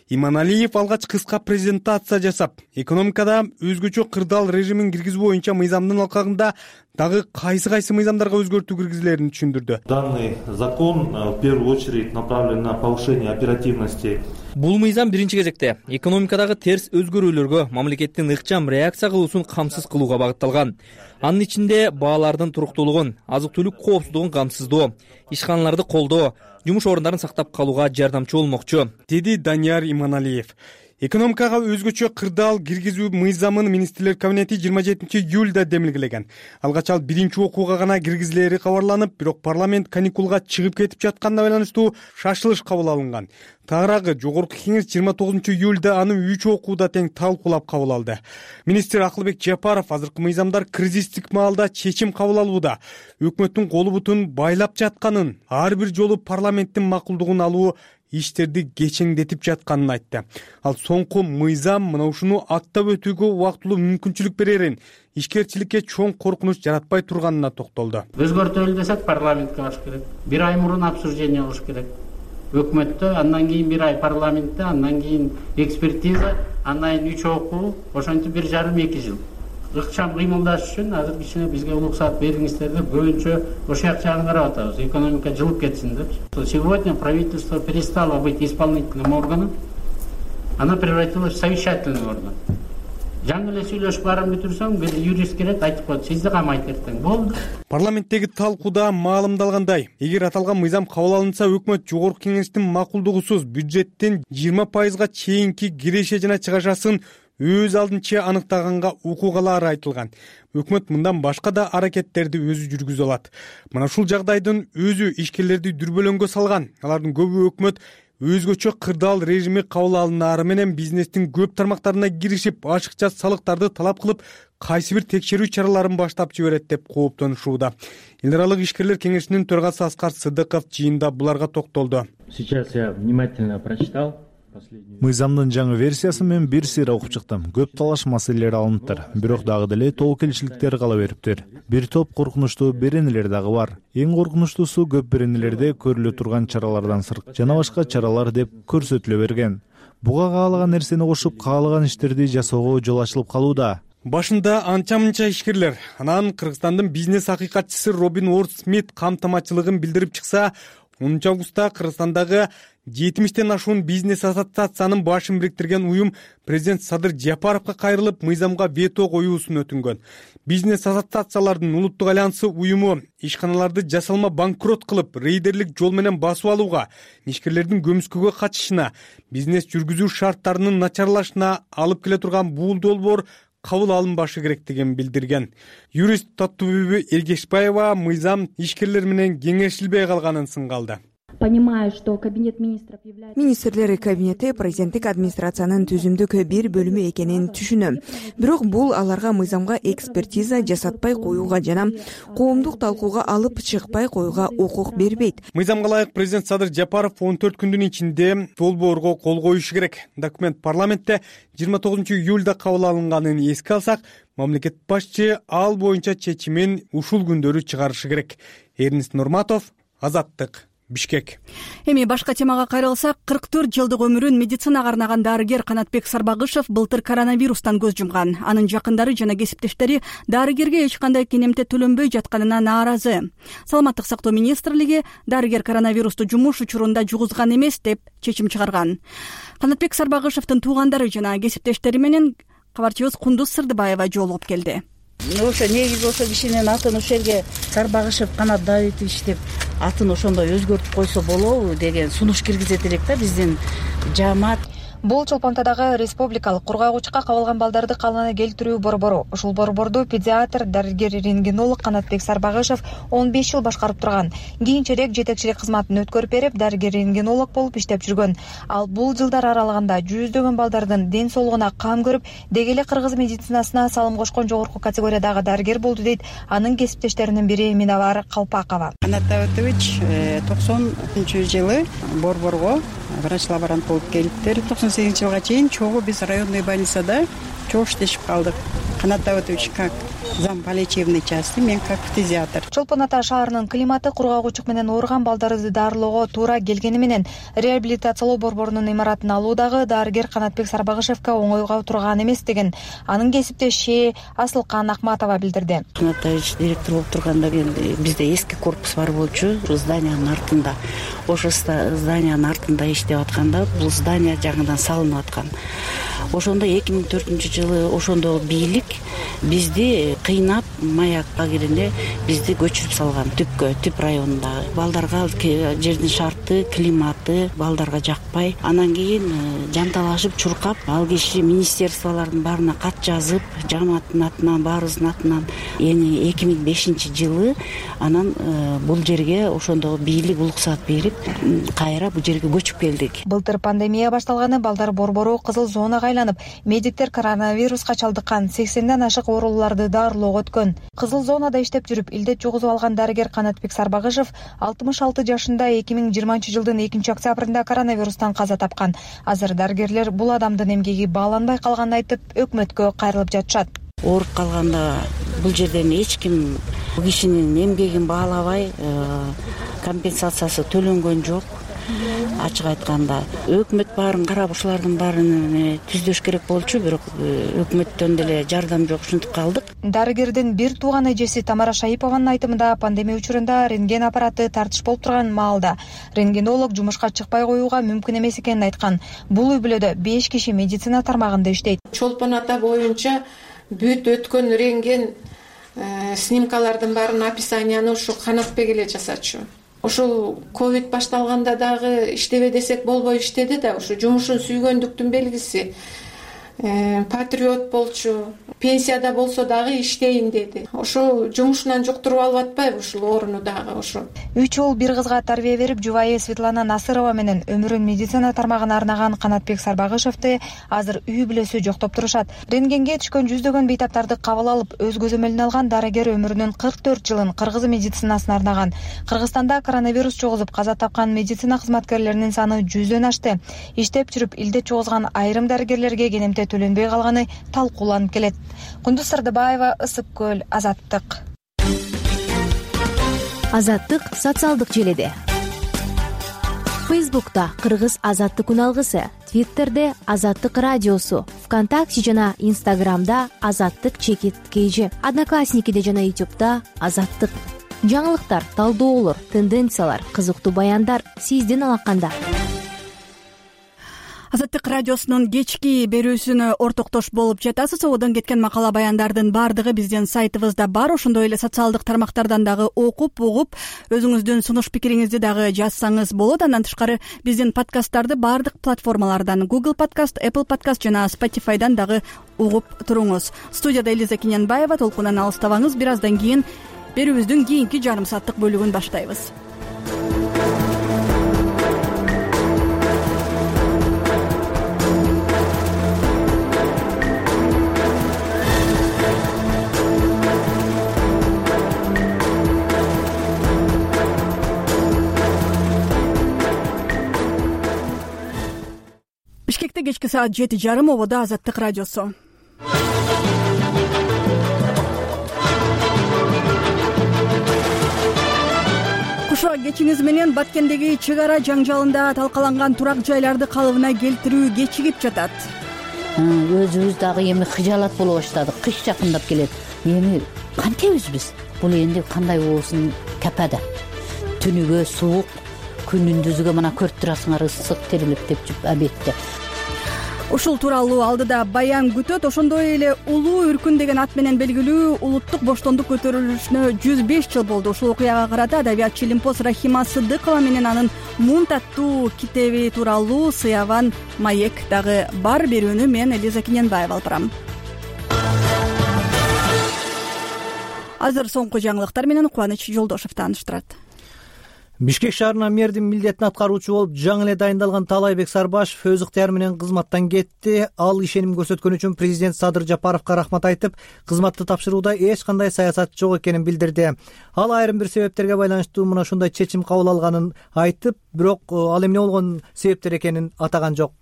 Иманалиев алгач кыска презентация жасап, экономикада өзгөчө кырдаал режимин киргизүү боюнча мыйзамдын алкагында дагы кайсы-кайсы мыйзамдарга өзгөртүү киргизилерин түшүндүрдү. Данный закон в первую очередь направлен на повышение оперативности. Бул мыйзам биринчи кезекте экономикадагы терс өзгөрүүлөргө мамлекеттин ыкчам реакция кылуусун камсыз кылууга багытталган. Анын ичинде баалардын туруктуулугун, азык-түлүк коопсуздугун камсыздоо, ишканаларды колдоо, жумуш орундарын сактап калууга жардамчы болмокчу, деди Данияр Иманалиев. Экономикага өзгөчө кырдаал киргизүү мыйзамын министрлер кабинети жыйырма жетинчи июлда демилгелеген. Алгач ал биринчи окууга гана киргизилери кабарланып, бирок парламент каникулга чыгып кетип жатканына байланыштуу шашылыш кабыл алынган. Тагыраагы жогорку кеңеш жыйырма тогузунчу июлда аны үч окууда тең талкуулап кабыл алды. Министр Акылбек Жапаров азыркы мыйзамдар кризистик маалда чечим кабыл алууда, өкмөттүн колу бутун байлап жатканын, ар бир жолу парламенттин макулдугун алуу иштерди кечеңдетип жатканын айтты. Ал соңку мыйзам мына ушуну аттап өтүүгө убактылуу мүмкүнчүлүк берерин, ишкерчиликке чоң коркунуч жаратпай турганына токтолду. Өзгөртөлү десек парламентке баш керек. Бир ай мурун обсуждение болуш керек. Өкмөттө, андан кийин бир ай парламентте, андан кийин экспертиза, андан кийин үч окуу, ошентип бир жарым эки жыл. Ыкчам кыймылдаш үчүн азыр кичине бизге уруксат бериңиздер деп көбүнчө ошол жак жагын карап атабыз. Экономика жылып кетсин деп. Сегодня правительство перестало быть исполнительным органом, оно превратилось в совещательный орган. Жаңы эле сүйлөшүп баарын бүтүрсөң, бир юрист келет, айтып коет, сизди камайт эртең. Болду. Парламенттеги талкууда маалымдалгандай, эгер аталган мыйзам кабыл алынса, өкмөт жогорку кеңештин макулдугусуз бюджеттин жыйырма пайызга чейинки киреше жана чыгашасын өз алдынча аныктаганга укугалар айтылган. Өкмөт мындан башка да аракеттерди өзү жүргүзө алат. Мына ушул жагдайдын өзү ишкерлерди дүрбөлөңгө салган. Алардын көбү өкмөт өзгөчө кырдаал режими кабыл алынаары менен бизнестин көп тармактарына киришип, ашыкча салыктарды талап кылып, кайсы бир текшерүү чараларын баштап жиберет деп кооптонушууда. Эл аралык ишкерлер кеңешинин төрагасы Аскар Сыдыков жыйында буларга токтолду. Сейчас я внимательно прочитал. Мыйзамдын жаңы версиясы мен бир сыйра окуп чыктым. Көп талаш маселелер алыныптыр, бирок дагы деле толук келишиликтер кала бериптир. Бир топ коркунучтуу беренелер дагы бар. Эң коркунучтуусу көп беренелерде көрүлө турган чаралардан сырт жана башка чаралар деп көрсөтүлө берген. Буга каалаган нерсени кошуп, каалаган иштерди жасоого жол ачылып калууда. Башында анча-мынча ишкерлер, анан Кыргызстандын бизнес акыйкатчысы Робин Уорд Смит камтамачылыгын билдирип чыкса, онунчу августта Кыргызстандагы жетимиштен ашуун бизнес ассоциациянын башын бириктирген уюм президент Садыр Жапаровго кайрылып, мыйзамга вето коюусун өтүнгөн. Бизнес ассоциациялардын улуттук альянсы уюму ишканаларды жасалма банкрот кылып, рейдерлик жол менен басып алууга, ишкерлердин көмүскөгө качышына, бизнес жүргүзүү шарттарынын начарлашына алып келе турган бул долбоор кабыл алынбашы керектигин билдирген. Юрист Таттубүбү Эргешбаева мыйзам ишкерлер менен кеңешилбей калганын сынга алды. Понимаю, что кабинет министров является... Министрлер кабинети президенттик администрациянын түзүмдүк бир бөлүмү экенин түшүнөм. Бирок бул аларга мыйзамга экспертиза жасатпай коюуга жана коомдук талкууга алып чыкпай коюуга укук бербейт. Мыйзамга ылайык президент Садыр Жапаров он төрт күндүн ичинде долбоорго кол коюшу керек. Документ парламентте жыйырма тогузунчу июлда кабыл алынганын эске алсак, мамлекет башчы ал боюнча чечимин ушул күндөрү чыгарышы керек. Эрнест Нурматов, Азаттык, Бишкек. Эми башка темага кайрылсак, кырк төрт жылдык өмүрүн медицинага арнаган дарыгер Канатбек Сарбагышев былтыр коронавирустан көз жумган. Анын жакындары жана кесиптештери дарыгерге эч кандай кенемте төлөнбөй жатканына нааразы. Саламаттык сактоо министрлиги дарыгер коронавирусту жумуш учурунда жугузган эмес деп чечим чыгарган. Канатбек Сарбагышевдин туугандары жана кесиптештери менен кабарчыбыз Кундуз Сырдыбаева жолугуп келди. Ошо негизи ошо кишинин атын ушул жерге Сарбагышев Канат Давитович деп атын ошондой өзгөртүп койсо болобу деген сунуш киргизет элек да биздин жаамат. Бул Чолпонтадагы республикалык кургагучка кабылган балдарды калыбына келтирүү борбору. Ушул борборду педиатр, дарыгер-рентгенолог Канатбек Сарбагышев он беш жыл башкарып турган. Кийинчерээк жетекчилик кызматын өткөрүп берип, дарыгер-рентгенолог болуп иштеп жүргөн. Ал бул жылдар аралыгында жүздөгөн балдардын ден соолугуна кам көрүп, деги эле кыргыз медицинасына салым кошкон жогорку категориядагы дарыгер болду дейт анын кесиптештеринин бири Минабар Калпакова. Канат Давитович токсонунчу жылы борборго врач-лаборант болуп келиптир. токсон сегизинчи жылга чейин чогуу биз районный больницада чогуу иштешип калдык. Канат Давитович как зам по лечебной части, мен как педиатр. Чолпон Ата шаарынын климаты кургагучук менен ооруган балдарды дарылоого туура келгени менен реабилитациялоо борборунун имаратын алуудагы дарыгер Канатбек Сарбагышевке оңойго турган эмес деген анын кесиптеши Асылкан Акматова билдирди. Канат Давитович директор болуп турганда бизде эски корпус бар болчу, зданиянын артында. Ошо зданиянын артында иштеп атканда бул здания жаңыдан салынып аткан. Ошондо эки миң төртүнчү жылы ошондо бийлик бизди кыйнап маякка киргенде бизди көчүрүп салган түпкө, түп районундагы. Балдарга жердин шарты, климаты балдарга жакпай, анан кийин жанталашып чуркап, ал киши министерстволордун баарына кат жазып, жамааттын атынан, баарыбыздын атынан эми эки миң бешинчи жылы анан бул жерге ошондо бийлик уруксат берип, кайра бул жерге көчүп келдик. Былтыр пандемия башталганы балдар борбору кызыл зонага айланып, медиктер коронавируска чалдыккан сексенден ашык ооруларды дарылоого өткөн. Кызыл зонада иштеп жүрүп, илдет жугузуп алган дарыгер Канатбек Сарбагышев алтымыш алты жашында эки миң жыйырманчы жылдын экинчи октябрында коронавирустан каза тапкан. Азыр дарыгерлер бул адамдын эмгеги бааланбай калганын айтып, өкмөткө кайрылып жатышат. Ооруп калганда бул жерден эч ким бул кишинин эмгегин баалабай, компенсациясы төлөнгөн жок. Ачык айтканда өкмөт баарын карап ушулардын баарын түздөш керек болчу, бирок өкмөттөн деле жардам жок, ушинтип калдык. Дарыгердин бир тууган эжеси Тамара Шаипованын айтымында пандемия учурунда рентген аппараты тартыш болуп турган маалда рентгенолог жумушка чыкпай коюуга мүмкүн эмес экенин айткан. Бул үй бүлөдө беш киши медицина тармагында иштейт. Чолпон Ата боюнча бүт өткөн рентген снимкалардын баарын описанияны ушу Канатбек эле жасачу. Ушул ковид башталганда дагы иштебе десек болбой иштеди да, ушу жумушун сүйгөндүктүн белгиси. Патриот болчу, пенсияда болсо дагы иштейин деди. Ошо жумушунан жуктуруп алып атпайбы ушул ооруну дагы ошо. Үч уул бир кызга тарбия берип, жубайы Светлана Насырова менен өмүрүн медицина тармагына арнаган Канатбек Сарбагышевди азыр үй бүлөсү жоктоп турушат. Рентгенге түшкөн жүздөгөн бейтаптарды кабыл алып, өз көзөмөлүнө алган дарыгер өмүрүнүн кырк төрт жылын кыргыз медицинасына арнаган. Кыргызстанда коронавирус жугузуп каза тапкан медицина кызматкерлеринин саны жүздөн ашты. Иштеп жүрүп илдет жугузган айрым дарыгерлерге кенемте төлөнбөй калганы талкууланып келет. Кундуз Сырдыбаева, Ысык көл, Азаттык. Азаттык социалдык желеде. Фейсбукта Кыргыз Азаттык үналгысы, Твиттерде Азаттык радиосу, ВКонтакте жана Инстаграмда Азаттык чекит кейжи, Одноклассникиде жана Ютубта Азаттык. Жаңылыктар, талдоолор, тенденциялар, кызыктуу баяндар сиздин алаканда. Азаттык радиосунун кечки берүүсүнө ортоктош болуп жатасыз. Ободон кеткен макала баяндардын баардыгы биздин сайтыбызда бар. Ошондой эле социалдык тармактардан дагы окуп, угуп, өзүңүздүн сунуш пикириңизди дагы жазсаңыз болот. Андан тышкары биздин подкасттарды баардык платформалардан, Google Podcast, Apple Podcast жана Spotify'дан дагы угуп туруңуз. Студияда Элиза Киненбаева. Толкундан алыстабаңыз. Бир аздан кийин берүүбүздүн кийинки жарым сааттык бөлүгүн баштайбыз. Бишкекте кечки саат жети жарым, ободо Азаттык радиосу. Кушуа кечиңиз менен Баткендеги чек ара жаңжалында талкаланган турак жайларды калыбына келтирүү кечигип жатат. Өзүбүз дагы эми хыжалат боло баштадык. Кыш жакындап келет. Эми кантебиз биз? Бул энди кандай болсун тепеде. Түнүгө суук, күнүндүзгө мына көрүп турасыңар, ысык терилип деп жүрүп абетте. Ушул тууралуу алдыда баян күтөт. Ошондой эле улуу үркүн деген ат менен белгилүү улуттук боштондук көтөрүлүшүнө жүз беш жыл болду. Ушул окуяга карата адабиятчы Илимпоз Рахима Сыдыкова менен анын Мунт аттуу китеби тууралуу сыяван маек дагы бар. Берүүнү мен Элиза Киненбаева алып барам. Азыр соңку жаңылыктар менен Кубаныч Жолдошев тааныштырат. Бишкек шаарына мэрдин милдетин аткаруучу болуп жаңы эле дайындалган Таалайбек Сарбашев өз ыктыяры менен кызматтан кетти. Ал ишеним көрсөткөн үчүн президент Садыр Жапаровго рахмат айтып, кызматты тапшырууда эч кандай саясат жок экенин билдирди. Ал айрым бир себептерге байланыштуу мына ушундай чечим кабыл алганын айтып, бирок ал эмне болгон себептер экенин атаган жок.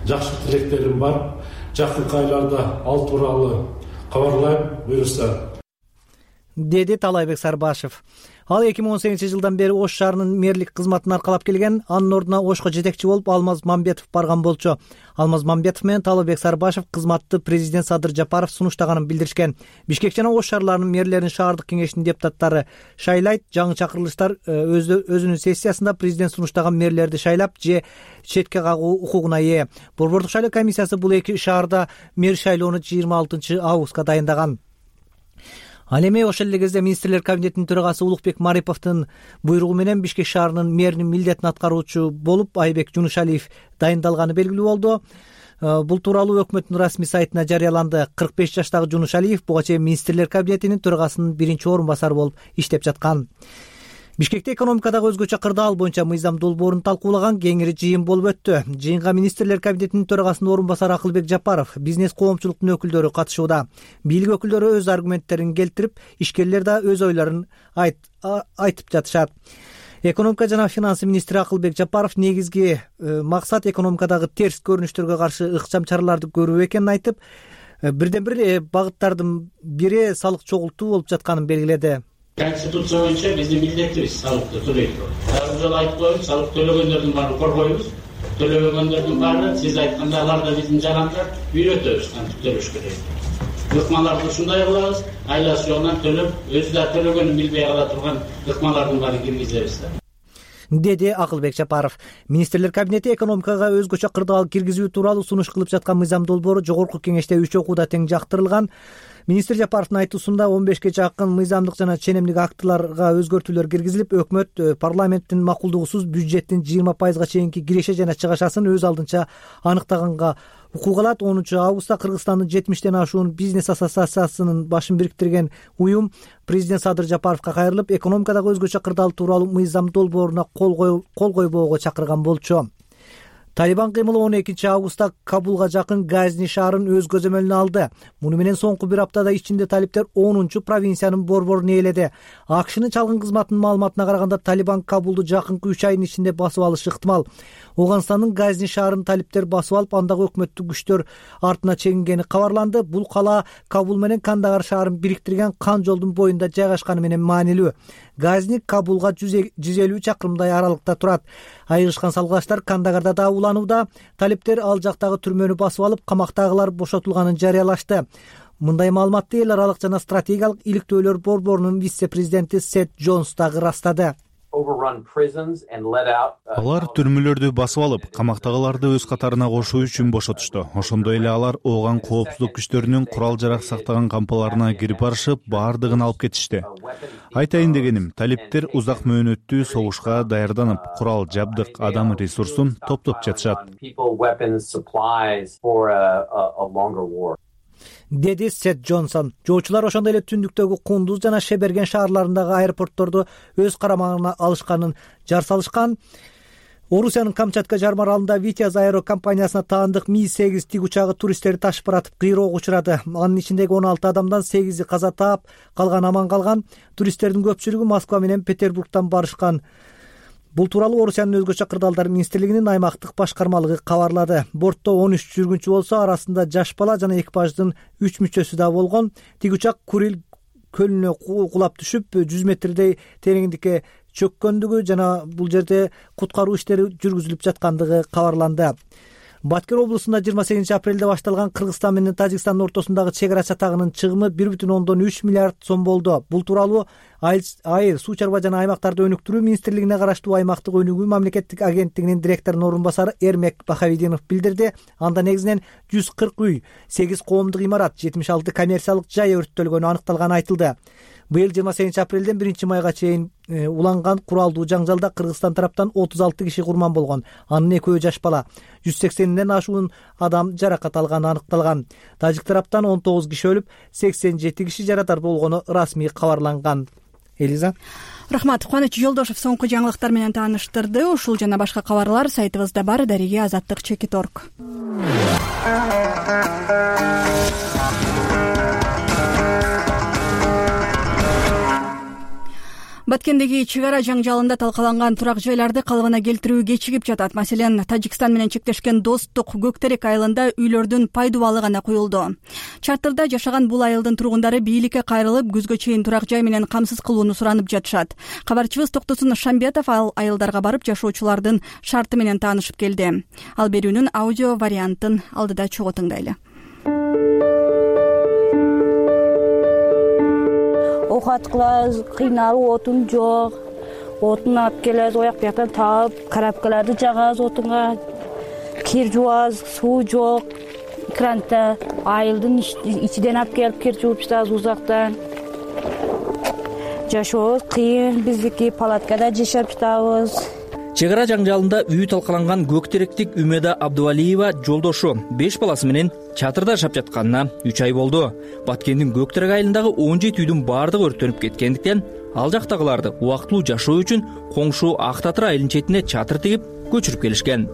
Жакшы тилектерим бар. Жакынкы айларда ал тууралуу кабарлайм, буюрса, деди Таалайбек Сарбашев. Ал эки миң он сегизинчи жылдан бери Ош шаарынын мэрлик кызматын аркалап келген. Анын ордуна Ошко жетекчи болуп Алмаз Мамбетов барган болчу. Алмаз Мамбетов менен Таалайбек Сарбашев кызматты президент Садыр Жапаров сунуштаганын билдиришкен. Бишкек жана Ош шаарларынын мэрлерин шаардык кеңештин депутаттары шайлайт. Жаңы чакырылыштар өзүнүн сессиясында президент сунуштаган мэрлерди шайлап же четке кагуу укугуна ээ. Борбордук шайлоо комиссиясы бул эки шаарда мэр шайлоону жыйырма алтынчы августка дайындаган. Ал эми ошол эле кезде министрлер кабинетинин төрагасы Улукбек Мариповдун буйругу менен Бишкек шаарынын мэринин милдетин аткаруучу болуп Айбек Жунушалиев дайындалганы белгилүү болду. Бул тууралуу өкмөттүн расмий сайтына жарыяланды. кырк беш жаштагы Жунушалиев буга чейин министрлер кабинетинин төрагасынын биринчи орун басары болуп иштеп жаткан. Бишкекте экономикадагы өзгөчө кырдаал боюнча мыйзам долбоорун талкуулаган кеңири жыйын болуп өттү. Жыйынга министрлер кабинетинин төрагасынын орун басары Акылбек Жапаров, бизнес коомчулуктун өкүлдөрү катышууда. Бийлик өкүлдөрү өз аргументтерин келтирип, ишкерлер да өз ойлорун айтып жатышат. Экономика жана финансы министри Акылбек Жапаров негизги максат экономикадагы терс көрүнүштөргө каршы ыкчам чараларды көрүү экенин айтып, бирден бир багыттардын бири салык чогултуу болуп жатканын белгиледи. Конституция боюнча биздин милдетибиз салыкты төлөйдү. Ар жолу айтып коебуз, салык төлөгөндөрдүн баарын коргойбуз. Төлөбөгөндөрдүн баары, сиз айткандай, алар да биздин жарандар, үйрөтөбүз кантип төлөш керек. Ыкмаларды ушундай кылабыз, айласы жолунан төлөп, өзү да төлөгөнүн билбей кала турган ыкмалардын баарын киргизебиз да, деди Акылбек Жапаров. Министрлер кабинети экономикага өзгөчө кырдаал киргизүү тууралуу сунуш кылып жаткан мыйзам долбоору жогорку кеңеште үч окууда тең жактырылган. Министр Жапаровдун айтуусунда он бешке жакын мыйзамдык жана ченемдик актыларга өзгөртүүлөр киргизилип, өкмөт парламенттин макулдугусуз бюджеттин жыйырма пайызга чейинки киреше жана чыгашасын өз алдынча аныктаганга укук алат. онунчу августта Кыргызстандын жетимиштен ашуун бизнес ассоциациясынын башын бириктирген уюм президент Садыр Жапаровго кайрылып, экономикадагы өзгөчө кырдаал тууралуу мыйзам долбооруна кол койбоого чакырган болчу. Талибан кыймылы он экинчи августта Кабулга жакын Газни шаарын өз көзөмөлүнө алды. Муну менен соңку бир аптада ичинде талиптер онунчу провинциянын борборун ээледи. АКШнын чалгын кызматынын маалыматына караганда Талибан Кабулду жакынкы үч айдын ичинде басып алышы ыктымал. Оганстандын Газни шаарын талиптер басып алып, андагы өкмөттүк күчтөр артына чегингени кабарланды. Бул кала Кабул менен Кандагар шаарын бириктирген кан жолдун боюнда жайгашканы менен маанилүү. Газни Кабулга жүз элүү чакырымдай аралыкта турат. Айыгышкан салгылаштар Кандагарда да уланууда. Талиптер ал жактагы түрмөнү басып алып, камактагылар бошотулганын жарыялашты. Мындай маалыматты эл аралык жана стратегиялык иликтөөлөр борборунун вице-президенти Сет Джонс дагы ырастады. алар түрмөлөрдү басып алып, камактагыларды өз катарына кошуу үчүн бошотушту. Ошондой эле алар ооган коопсуздук күчтөрүнүн курал-жарак сактаган кампаларына кирип барышып, баардыгын алып кетишти. Айтайын дегеним, талиптер узак мөөнөттүү согушка даярданып, курал, жабдык, адам ресурсун топтоп жатышат, деди Сет Джонсон. Жоочулар ошондой эле түндүктөгү Кундуз жана Шеберген шаарларындагы аэропортторду өз карамагына алышканын жар салышкан. Орусиянын Камчатка жарма аралында Витязь аэро компаниясына таандык Ми сегиз тиг учагы туристтерди ташып баратып кыйроого учурады. Анын ичиндеги он алты адамдан сегизи каза таап, калган аман калган. Туристтердин көпчүлүгү Москва менен Петербургтан барышкан. Бул тууралуу Орусиянын өзгөчө кырдаалдар министрлигинин аймактык башкармалыгы кабарлады. Бортто он үч жүргүнчү болсо, арасында жаш бала жана экипаждын үч мүчөсү да болгон. Тиг учак Курил көлүнө кулап түшүп, жүз метрдей тереңдикке чөккөндүгү жана бул жерде куткаруу иштери жүргүзүлүп жаткандыгы кабарланды. Баткен облусунда жыйырма сегизинчи апрелде башталган Кыргызстан менен Тажикстандын ортосундагы чек ара чатагынын чыгымы бир бүтүн ондон үч миллиард сом болду. Бул тууралуу Айыл, суу чарба жана аймактарды өнүктүрүү министрлигине караштуу аймактык өнүгүү мамлекеттик агенттигинин директорунун орун басары Эрмек Бахавидинов билдирди. Анда негизинен жүз кырк үй, сегиз коомдук имарат, жетимиш алты коммерциялык жай өрттөлгөнү аныкталганы айтылды. Быйыл жыйырма сегизинчи апрелден биринчи майга чейин уланган куралдуу жаңжалда Кыргызстан тараптан отуз алты киши курман болгон. Анын экөө жаш бала. жүз сексенден ашуун адам жаракат алганы аныкталган. Тажик тараптан он тогуз киши өлүп, сексен жети киши жаракат болгону расмий кабарланган. Элиза. Рахмат. Кубаныч Жолдошев соңку жаңылыктар менен тааныштырды. Ушул жана башка кабарлар сайтыбызда бар. Дариги азаттык чекит точка орг. Баткендеги чек ара жаңжалында талкаланган турак жайларды калыбына келтирүү кечигип жатат. Маселен, Тажикстан менен чектешкен Достук Көктерек айылында үйлөрдүн пайдубалы гана куюлду. Чатырда жашаган бул айылдын тургундары бийликке кайрылып, күзгө чейин турак жай менен камсыз кылууну суранып жатышат. Кабарчыбыз Токтосун Шамбетов ал айылдарга барып жашоочулардын шарты менен таанышып келди. Ал берүүнүн аудио вариантын алдыда чогуу тыңдайлы. Окат кылабыз, кыйналып, отун жок. Отун алып келебиз, ояк бияктан таап, карапкаларды жагабыз отунга. Кир жуабыз, суу жок. Кранта айылдын ичиден алып келип кир жууп жатабыз узактан. Жашообуз кыйын, биздики палаткада жашап жатабыз. Чек ара жаңжалында үй талкаланган Көктеректик Үмеда Абдувалиева жолдошу беш баласы менен чатырда жашап жатканына үч ай болду. Баткендин Көктерек айылындагы он жети үйдүн баардыгы өрттөнүп кеткендиктен ал жактагыларды убактылуу жашоо үчүн коңшу Ак Татыр айылынын четине чатыр тигип көчүрүп келишкен.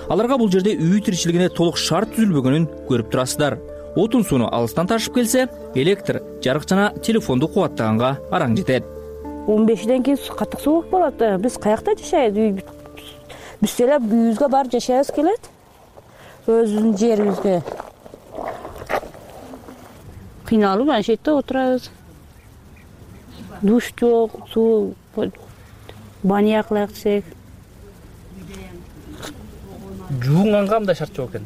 Аларга бул жерде үй тиричилигине толук шарт түзүлбөгөнүн көрүп турасыздар. Отун сууну алыстан ташып келсе, электр, жарык жана телефонду кубаттаганга араң жетет. он бешиден кийин катык суук болот. Биз каякта жашайбыз? Биз эле үйүбүзгө барып жашайбыз келет. Өзүбүздүн жерибизге. Кыйналып ana shu yerda o'tiramiz. Dush yo'q, suv banyo qilak desek. Жуунганга мындай шарт жок экен.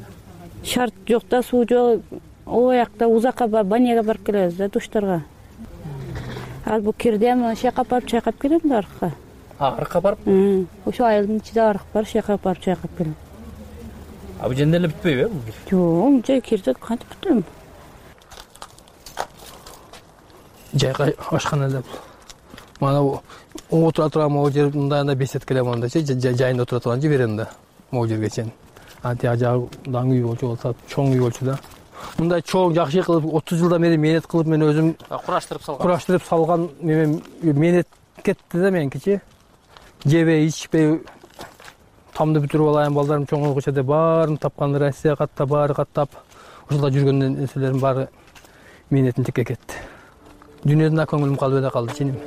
Шарт жок да, суу жок. О жакта узакка барып баняга барып келебиз да, душтарга. Ал бу кирдем шайкап барып чайкап келем да аркка. А, аркка барып? Ошо айылдын ичинде арык бар, шайкап барып чайкап келем. А бул жерде эле бүтпөйбү? Жок, мынча кирдик, кантип бүтөм? Жайга ашкан эле. Мана отура турган могу жер мындайында бесет келем андачы, жайында отура турган жиберем да. Могу жерге чейин. Анти ажагдан үй болчу болсо, чоң үй болчу да. Мындай чоң жакшы кылып отуз жылдан бери мээнет кылып мен өзүм кураштырып салган. Кураштырып салган мен мээнет кетти да меникичи. Жебей, ичпей тамды бүтүрүп алайын, балдарым чоңойгуча деп баарын тапкан, Россия катта баары каттап, ошолда жүргөн нерселерим баары мээнетин текке кетти. Дүйнөдөн да көңүлүм калып эле калды ченим.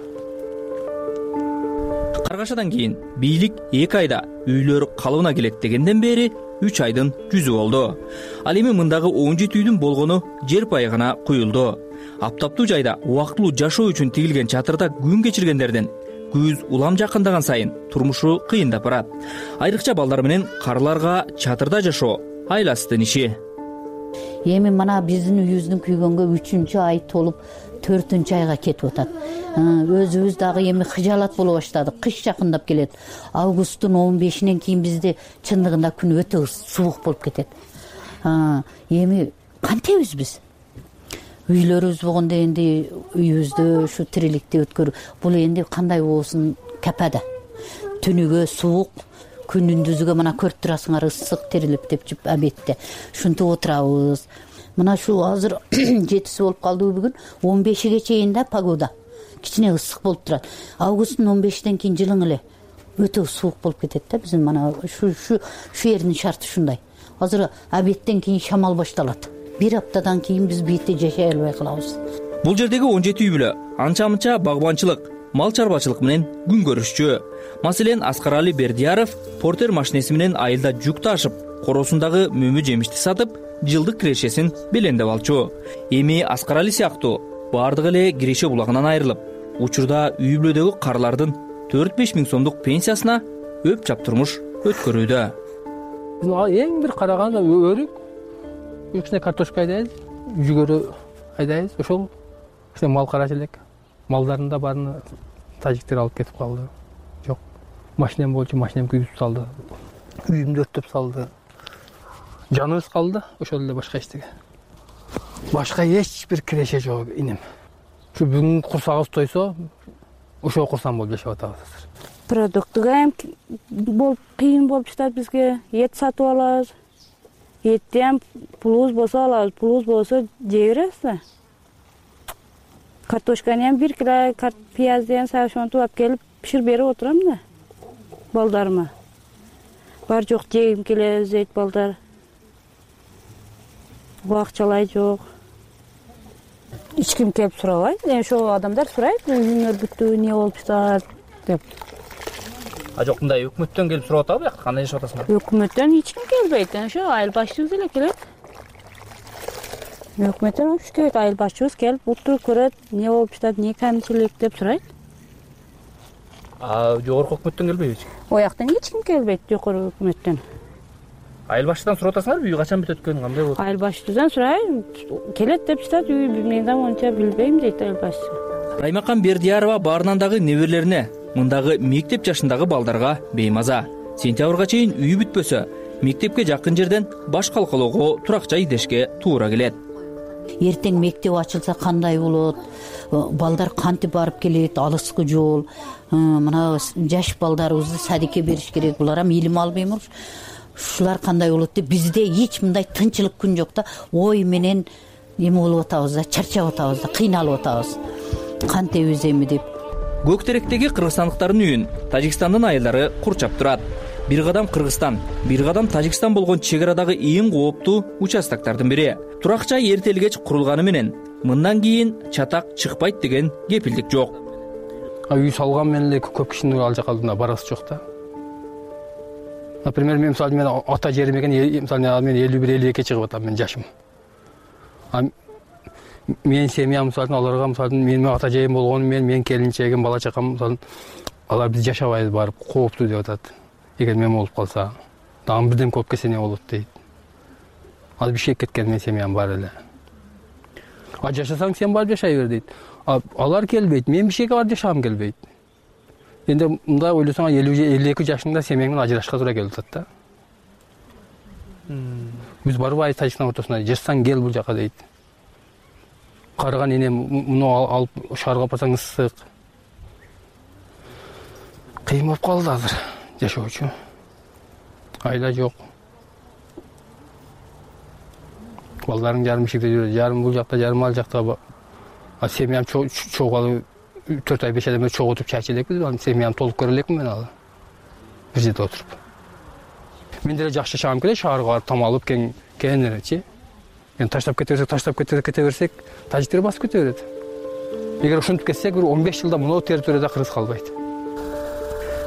Каргашадан кийин бийлик эки айда үйлөр калыбына келет дегенден бери үч айдын жүзү болду. Ал эми мындагы он жети үйдүн болгону жер пайы гана куюлду. Аптаптуу жайда убактылуу жашоо үчүн тигилген чатырда күн кечиргендердин күз улам жакындаган сайын турмушу кыйындап барат. Айрыкча балдар менен карларга чатырда жашоо айласыздын иши. эми мына биздин үйүбүздүн күйгөнгө үчүнчү ай толуп төртүнчү айга кетип атат. Өзүбүз дагы эми кыжаалат боло баштадык. Кыш жакындап келет. Августтун он бешинен кийин бизде чындыгында күн өтө суук болуп кетет. Эми кантебиз биз? Үйлөрүбүз болгондо энди үйүбүздө ушу тириликти өткөр. Бул энди кандай болсун капада. Түнүгө суук, күнүндүзүгө мына көрүп турасыңар ысык тирилип деп жуп абетте. Ушинтип отурабыз. Мына ушу азыр жетиси болуп калды бүгүн. он бешиге чейин да погода. Кичине ысык болуп турат. Августтун он бешинен кийин жылың эле өтө суук болуп кетет да. Биздин мана ушу ушу шу жердин шарты ушундай. Азыр абеттен кийин шамал башталат. Бир аптадан кийин биз бийте жашай албай калабыз. Бул жердеги он жети үй бүлө анча-мынча багбанчылык, мал чарбачылык менен күн көрүшчү. Маселен, Аскарали Бердияров портер машинеси менен айылда жүк ташып, коросундагы мөмө жемишти сатып, жылдык кирешесин белендеп алчу. Эми Аскарали сыяктуу бардыгы эле киреше булагынан айрылып, учурда үй бүлөдөгү карлардын төрт беш миң сомдук пенсиясына өп чап турмуш өткөрүүдө. Эң бир караганда өрүк, кичине картошка айдайбыз, жүгөрү айдайбыз. Ошол кичине мал карачы элек. Малдарын да баарын тажиктер алып кетип калды. Жок, машинем болчу, машинем күйгүзүп салды. Үйүмдү өрттөп салды. Жаныбыз калды, ошол эле башка эчтеге. Башка эч бир киреше жок инем. Ушу бүгүн курсагыбыз тойсо, ошо курсам болуп жашап атабыз азыр. Продуктуга эм болуп кыйын болуп жатат бизге. Эт сатып алабыз. Этти эм пулубуз болсо алабыз, пулубуз болсо жей беребиз да. Картошканы эм бир кило пиязды эм ошентип алып келип пиширип берип отурам да балдарыма. Бар жок жегим келе дейт балдар. Акчалай жок. Эч ким келип сурабайт. Эми ошол адамдар сурайт, үйүңөр бүттү, эмне болуп жатат деп. А жок, мындай өкмөттөн келип сурап атабы, бияк кандай жашап атасыңар? Өкмөттөн эч ким келбейт. Ошо айыл башчыбыз эле келет. Өкмөттөн уш келет, айыл башчыбыз келип утуруп көрөт, эмне болуп жатат, эмне камчылык деп сурайт. А жогорку өкмөттөн келбейби? Ояктан эч ким келбейт, жогорку өкмөттөн. Айыл башчыдан сурап атасыңарбы, үй качан бүтөт экен, кандай болот? Айыл башчыдан сурайм, келет деп жатат, үй мен да монча билбейм дейт айыл башчы. Раймакан Бердиярова баарынан дагы неберелерине, мындагы мектеп жашындагы балдарга беймаза. Сентябрга чейин үй бүтпөсө, мектепке жакын жерден баш калкалоого туракча идешке туура келет. Эртең мектеп ачылса кандай болот? Балдар кантип барып келет? Алыскы жол. Мына жаш балдарыбызды садикке бериш керек. Булар эми илим албайбы? Ушулар кандай болот деп бизде эч мындай тынчылык күн жок да. Ой менен эме болуп атабыз да, чарчап атабыз да, кыйналып атабыз. Кантебиз эми деп. Көк теректеги кыргызстандыктардын үйүн Тажикстандын айылдары курчап турат. Бир кадам Кыргызстан, бир кадам Тажикстан болгон чек арадагы эң кооптуу участоктордун бири. Туракча эртели кеч курулганы менен мындан кийин чатак чыкпайт деген кепилдик жок. Үй салган менен эле көп кишинин ал жака барасы жок да. Например, мен мисалы мен ата жерим экен, мисалы мен элүү бир элүү экиге чыгып атам, мен жашым. Мен семьям мисалы аларга мисалы менин ата жерим болгону менен мен келинчегим, бала чакам мисалы алар биз жашабайбыз барып, кооптуу деп атат. Эгер мен болуп калса, дагы бирден көп келсе эмне болот дейт. Ал бишек кеткен мен семьям бар эле. А жашасаң сен барып жашай бер дейт. Алар келбейт, мен бишекке барып жашагым келбейт. Энди мындай ойлосоң элүү элүү эки жашыңда семьяң менен ажырашка туура келип атат да. Биз барбай Тажикстан ортосуна жашсаң кел бул жака дейт. Карыган энем муну алып шаарга барсаң ысык. Кыйын болуп калды азыр жашоочу. Айла жок. Балдарың жарым ишикте жүрөт, жарым бул жакта, жарым ал жакта. А семьям чогалы төрт ай беш айдан бери чогултуп чай эчелекпиз, семьям толук көрө элекмин мен алы. Бир жерде отуруп. Мен деле жакшы жашагым келет, шаарга барып там алып кең кененеречи. Эми таштап кете берсек, таштап кете кете берсек, тажиктер басып кете берет. Эгер ушинтип кетсек, бир он беш жылда мына территорияда кыргыз калбайт.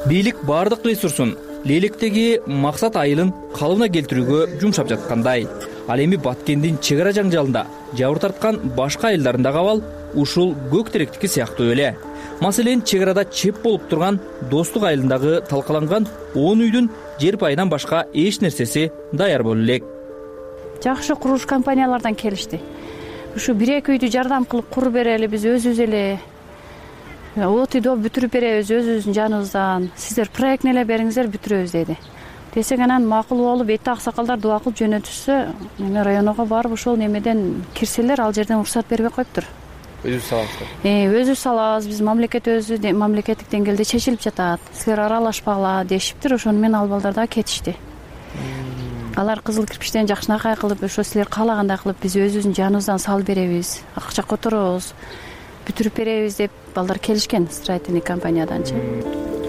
Бийлик бардык ресурсун Лелектеги максат айылын калыбына келтирүүгө жумшап жаткандай. Ал эми Баткендин чек ара жаңжалында жабыр тарткан башка айылдарындагы абал ушул көк теректики сыяктуу эле. Маселен, чек арада чеп болуп турган Достук айылындагы талкаланган он үйдүн жер пайынан башка эч нерсеси даяр боло элек. жакшы курулуш компаниялардан келишти. Ушу бир эки үйдү жардам кылып куруп берели, биз өзүбүз эле от үйдү бүтүрүп беребиз өзүбүздүн жаныбыздан. Сиздер проектни эле бериңиздер, бүтүрөбүз деди. Десек анан макул болуп, эти аксакалдар дуба кылып жөнөтүшсө, эми районго барып ошол немеден кирселер, ал жерден уруксат бербей коюптур. Өзүбүз салабыз. Э, өзүбүз салабыз. Биз мамлекет өзү мамлекеттик деңгээлде чечилип жатат. Силер аралашпагыла дешиптир. Ошону менен ал балдар дагы кетишти. Алар кызыл кирпичтен жакшынакай кылып, ошо силер каалагандай кылып биз өзүбүздүн жаныбыздан салып беребиз, акча которобуз, бүтүрүп беребиз деп балдар келишкен строительный компанияданчы.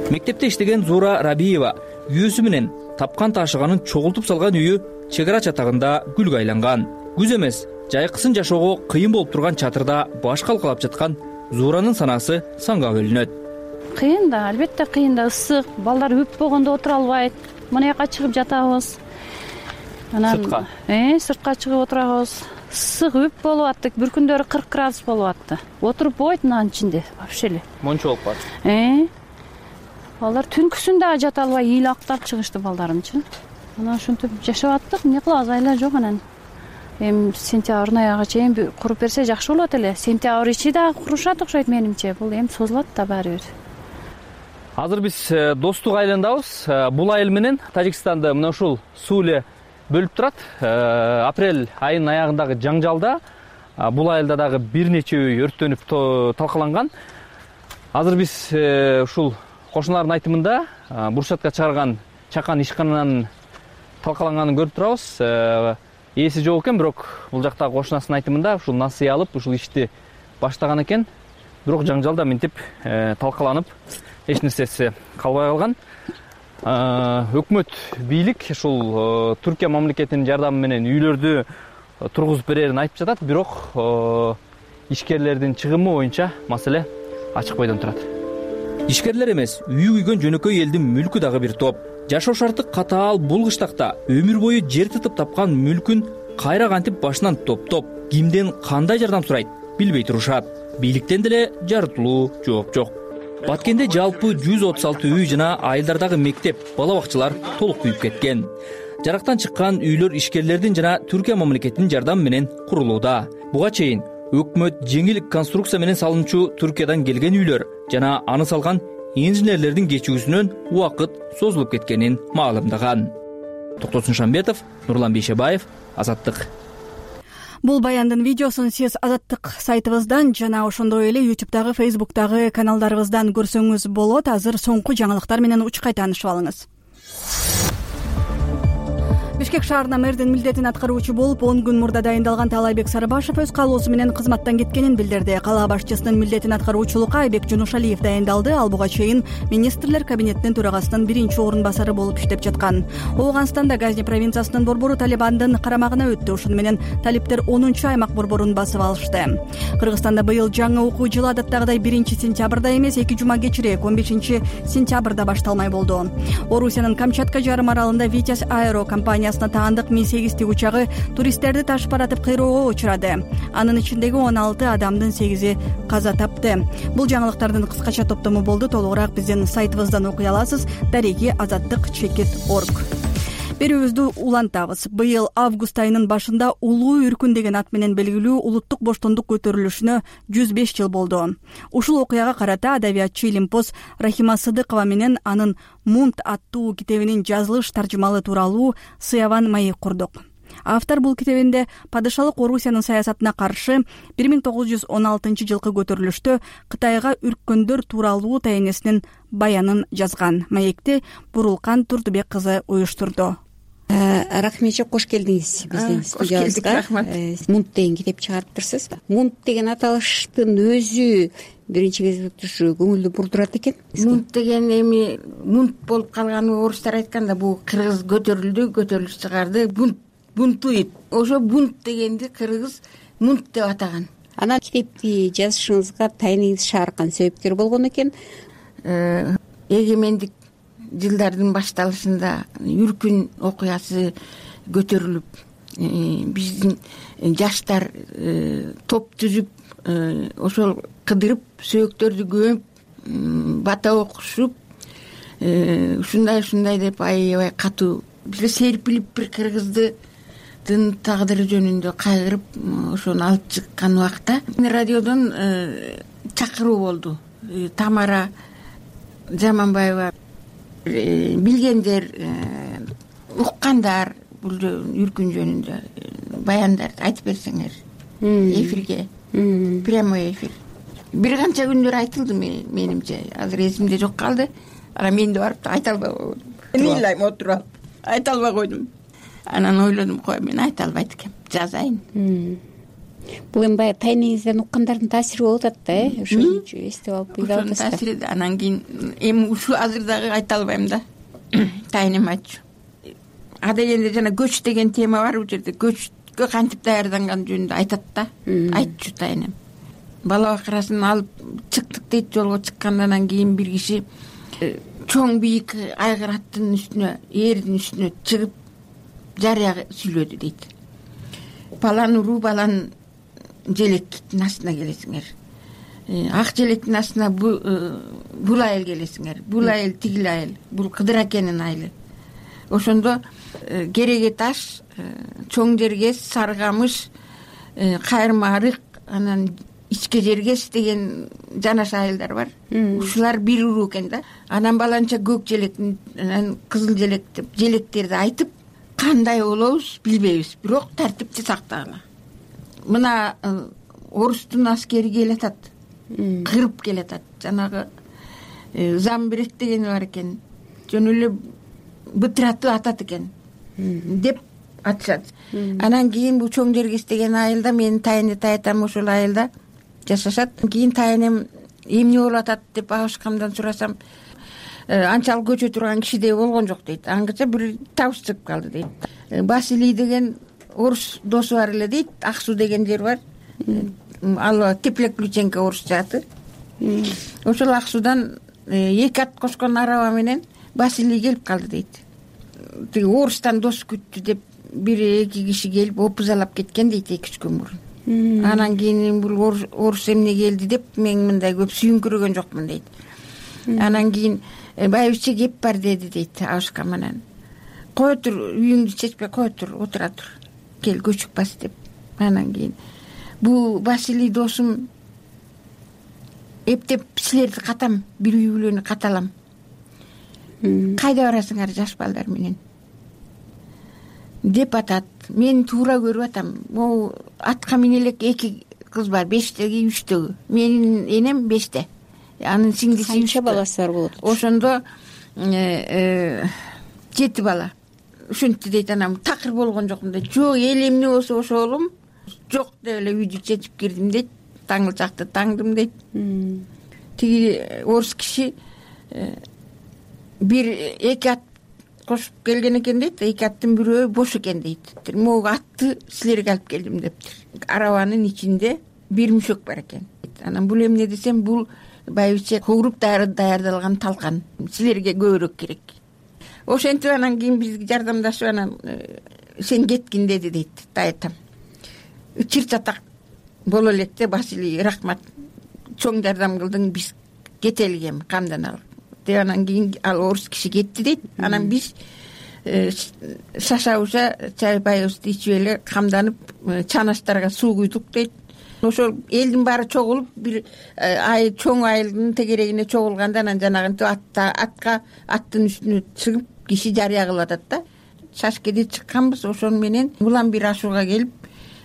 Мектепте иштеген Зуура Рабиева үйөөсү менен тапкан ташыганын чогултуп салган үйү чек ара чатагында гүлгө айланган. Күз эмес, жайкысын жашоого кыйын болуп турган чатырда баш калкалап жаткан Зууранын санаасы санга бөлүнөт. Кыйын да, албетте кыйын да, ысык, балдар үп болгондо отура албайт. Мына жака чыгып жатабыз. Анан сыртка, э, сыртка чыгып отурабыз. Ысык үп болуп аттык, бир күндөрү кырк градус болуп атты. Отуруп болбойт мынанын ичинде, вообще эле. Мончо болуп калат. Э. Балдар түнкүсүн дагы жата албай ийил актап чыгышты балдарымчы. Анан ушинтип жашап аттык, эмне кылабыз, айла жок анан. Эми сентябрдын аягына чейин куруп берсе жакшы болот эле. Сентябрь ичи дагы курушат окшойт менимче. Бул эми созулат да баары бир. Азыр биз достук айылындабыз. Бул айыл менен Тажикстанды мына ушул суу эле бөлүп турат. Апрель айынын аягындагы жаңжалда бул айылда дагы бир нече үй өрттөнүп талкаланган. Азыр биз ушул кошуналардын айтымында буршатка чыгарган чакан ишкананын талкаланганын көрүп турабыз. Ээси жок экен, бирок бул жактагы кошунасынын айтымында ушул насыя алып, ушул ишти баштаган экен. Бирок жаңжалда мынтип талкаланып, эч нерсеси калбай калган. Өкмөт, бийлик ушул Түркия мамлекетинин жардамы менен үйлөрдү тургузуп берерин айтып жатат, бирок ишкерлердин чыгымы боюнча маселе ачык бойдон турат. Ишкерлер эмес, үйү күйгөн жөнөкөй элдин мүлкү дагы бир топ. Жашоо шарты катаал бул кыштакта өмүр бою жер тытып тапкан мүлкүн кайра кантип башынан топтоп, кимден кандай жардам сурайт билбей турушат. Бийликтен деле жарытылуу жооп жок. Баткенде жалпы жүз отуз алты үй жана айылдардагы мектеп, бала бакчалар толук күйүп кеткен. Жарактан чыккан үйлөр ишкерлердин жана Түркия мамлекетинин жардамы менен курулууда. Буга чейин өкмөт жеңил конструкция менен салынчу Түркиядан келген үйлөр жана аны салган инженерлердин кечүүсүнөн убакыт созулуп кеткенин маалымдаган. Токтосун Шамбетов, Нурлан Бейшебаев, Азаттык. Бул баяндын видеосун сиз Азаттык сайтыбыздан жана ошондой эле ютубтагы, фейсбуктагы каналдарыбыздан көрсөңүз болот. Азыр соңку жаңылыктар менен учкай таанышып алыңыз. Бишкек шаарына мэрдин милдетин аткаруучу болуп он күн мурда дайындалган Таалайбек Сарыбашев өз каалоосу менен кызматтан кеткенин билдирди. Кала башчысынын милдетин аткаруучулукка Айбек Жунушалиев дайындалды. Ал буга чейин министрлер кабинетинин төрагасынын биринчи орун басары болуп иштеп жаткан. Ооганстанда Газни провинциясынын борбору Талибандын карамагына өттү. Ошону менен талиптер онунчу аймак борборун басып алышты. Кыргызстанда быйыл жаңы окуу жылы адаттагыдай биринчи сентябрда эмес, эки жума кечирээк он бешинчи сентябрда башталмай болду. Орусиянын Камчатка жарым аралында Витязь Аэро компаниясы таандык ми сегиз тигучагы туристтерди ташып баратып кыйроого учурады. Анын ичиндеги он алты адамдын сегизи каза тапты. Бул жаңылыктардын кыскача топтому болду. Толугураак биздин сайтыбыздан окуй аласыз. Дареги азаттык чекит орг. Берүүбүздү улантабыз. Быйыл август айынын башында Улуу үркүн деген ат менен белгилүү улуттук боштондук көтөрүлүшүнө жүз беш жыл болду. Ушул окуяга карата адабиятчы Илимпоз Рахима Сыдыкова менен анын Мунт аттуу китебинин жазылыш таржымалы тууралуу сыяван маек курдук. Автор бул китебинде падышалык Орусиянын саясатына каршы бир миң тогуз жүз он алтынчы жылкы көтөрүлүштө Кытайга үрккөндөр тууралуу тайнесинин баянын жазган. Маекти Бурулкан Турдубек кызы уюштурду. Рахметчик, кош келдиңиз биздин студиябызга. Мунт деген китеп чыгарыптырсыз. Мунт деген аталыштын өзү биринчи кезекте ушу көңүлдү бурдурат экен. Мунт деген эми мунт болуп калганы орустар айтканда бул кыргыз көтөрүлдү, көтөрүлүш чыгарды, бунт бунтуйт. Ошо бунт дегенди кыргыз мунт деп атаган. Анан китепти жазышыңызга тайнеңиз шааркан себепкер болгон экен. Эгемендик жылдардын башталышында үркүн окуясы көтөрүлүп, биздин жаштар топ түзүп, ошол кыдырып, сөөктөрдү көмүп, бата окушуп, ушундай ушундай деп аябай катуу бир серпилип бир кыргызды жаштардын тагдыры жөнүндө кайгырып ошону алып чыккан убакта радиодон чакыруу болду. Тамара Жаманбаева, билгендер, уккандар бул үркүн жөнүндө баяндарды айтып берсеңер эфирге, прямой эфир. Бир канча күндөр айтылды менимче, азыр эсимде жок калды. Анан мен да барып айта албай койдум. Мен ыйлайм отуруп алып, айта албай койдум. Анан ойлодум, кой мен айта албайт экенм, жазайын. Бул эми баягы тайнеңизден уккандардын таасири болуп атат да, э? Ошону эстеп алып ыйлап атасыздар. Ошонун таасири. Анан кийин эми ушул азыр дагы айта албайм да. Тайнем айтчу. А дегенде жана көч деген тема бар бул жерде. Көчкө кантип даярданган жөнүндө айтат да. Айтчу тайнем. Бала бакырасын алып чыктык дейт, жолго чыккандан кийин бир киши чоң бийик айгыр аттын үстүнө, эрдин үстүнө чыгып жарыя сүйлөдү дейт. Балан уруу, балан желектин астына келесиңер. Ак желектин астына бул айыл келесиңер. Бул айыл тигил айыл, бул Кыдыр акенин айылы. Ошондо Кереге таш, Чоң Жергес, Саргамыш, Кайырма арык, анан Ичке Жергес деген жанаш айылдар бар. Ушулар бир уруу экен да. Анан баланча көк желектин, анан кызыл желек деп желектерди айтып, кандай болобуз билбейбиз, бирок тартипти сактагыла. Мына орустун аскери келатат, кырып келатат. Жанагы Замбирет деген бар экен. Жөн эле бытыраты атат экен деп атышат. Анан кийин бул Чоң Жергес деген айылда менин тайыны таятам ошол айылда жашашат. Кийин тайынем эмне болуп атат деп Абышкамдан сурасам, анчалык көчө турган кишидей болгон жок дейт. Аңгыча бир табыш чыгып калды дейт. Василий деген орус досу бар эле дейт. Аксу деген жер бар. Ал Теплек Ключенко орус жааты. Ошол Аксудан эки ат кошкон араба менен Василий келип калды дейт. Тиги орустан дос күттү деп бир эки киши келип опузалап кеткен дейт эки үч күн мурун. Анан кийин бул орус эмне келди деп мен мындай көп сүйүңкүрөгөн жокмун дейт. Анан кийин байбиче кеп бар деди дейт Абышкам. Анан кой тур, үйүңдү чечпей кой тур, отура тур, кел көчүк бас деп. Анан кийин бул Василий досум эптеп силерди катам, бир үй бүлөнү каталам. Кайда барасыңар жаш балдар менен деп атат. Мен туура көрүп атам. Могу атка мине элек эки кыз бар, бештеги, үчтөгү. Менин энем беште. Анын сиңдиси канча баласы бар болот? Ошондо жети бала. Ушинтти дейт. Анан такыр болгон жокмун дейт. Жок, эл эмне болсо ошолум. Жок деп эле үйдү чечип кирдим дейт. Таңылчакты таңдым дейт. Тиги орус киши бир эки ат кошуп келген экен дейт. Эки аттын бирөө бош экен дейт. Могу атты силерге алып келдим дептир. Арабанын ичинде бир мүшөк бар экен. Анан бул эмне десем, бул байбиче кууруп даярдалган талкан. Силерге көбүрөөк керек. Ошентип анан кийин бизге жардамдашып анан сен кеткин деди дейт таятам. Чыр чатак боло электе Василий рахмат. Чоң жардам кылдың, биз кетелик эми, камданалы. Анан кийин ал орус киши кетти дейт. Анан биз шашабыза чайбайыбызды ичип эле камданып чанаштарга суу куйдук дейт. Ошол элдин баары чогулуп бир ай чоң айылдын тегерегине чогулганда анан жанагынтип атта атка аттын үстүнө чыгып киши жарыя кылып атат да. Шашкеде чыкканбыз, ошону менен улам бир ашууга келип,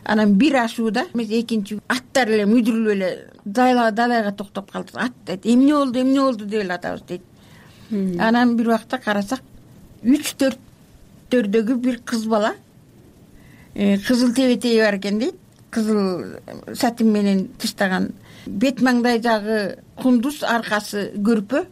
анан бир ашууда эмес экинчи аттар эле мүдүрүлүп эле далайга токтоп калды. Ат дейт, эмне болду, эмне болду деп эле атабыз дейт. Анан бир убакта карасак, үч төрттөрдөгү бир кыз бала кызыл тебетеги бар экен дейт. Кызыл сатин менен тыштаган, бет маңдай жагы кундуз, аркасы көрпө.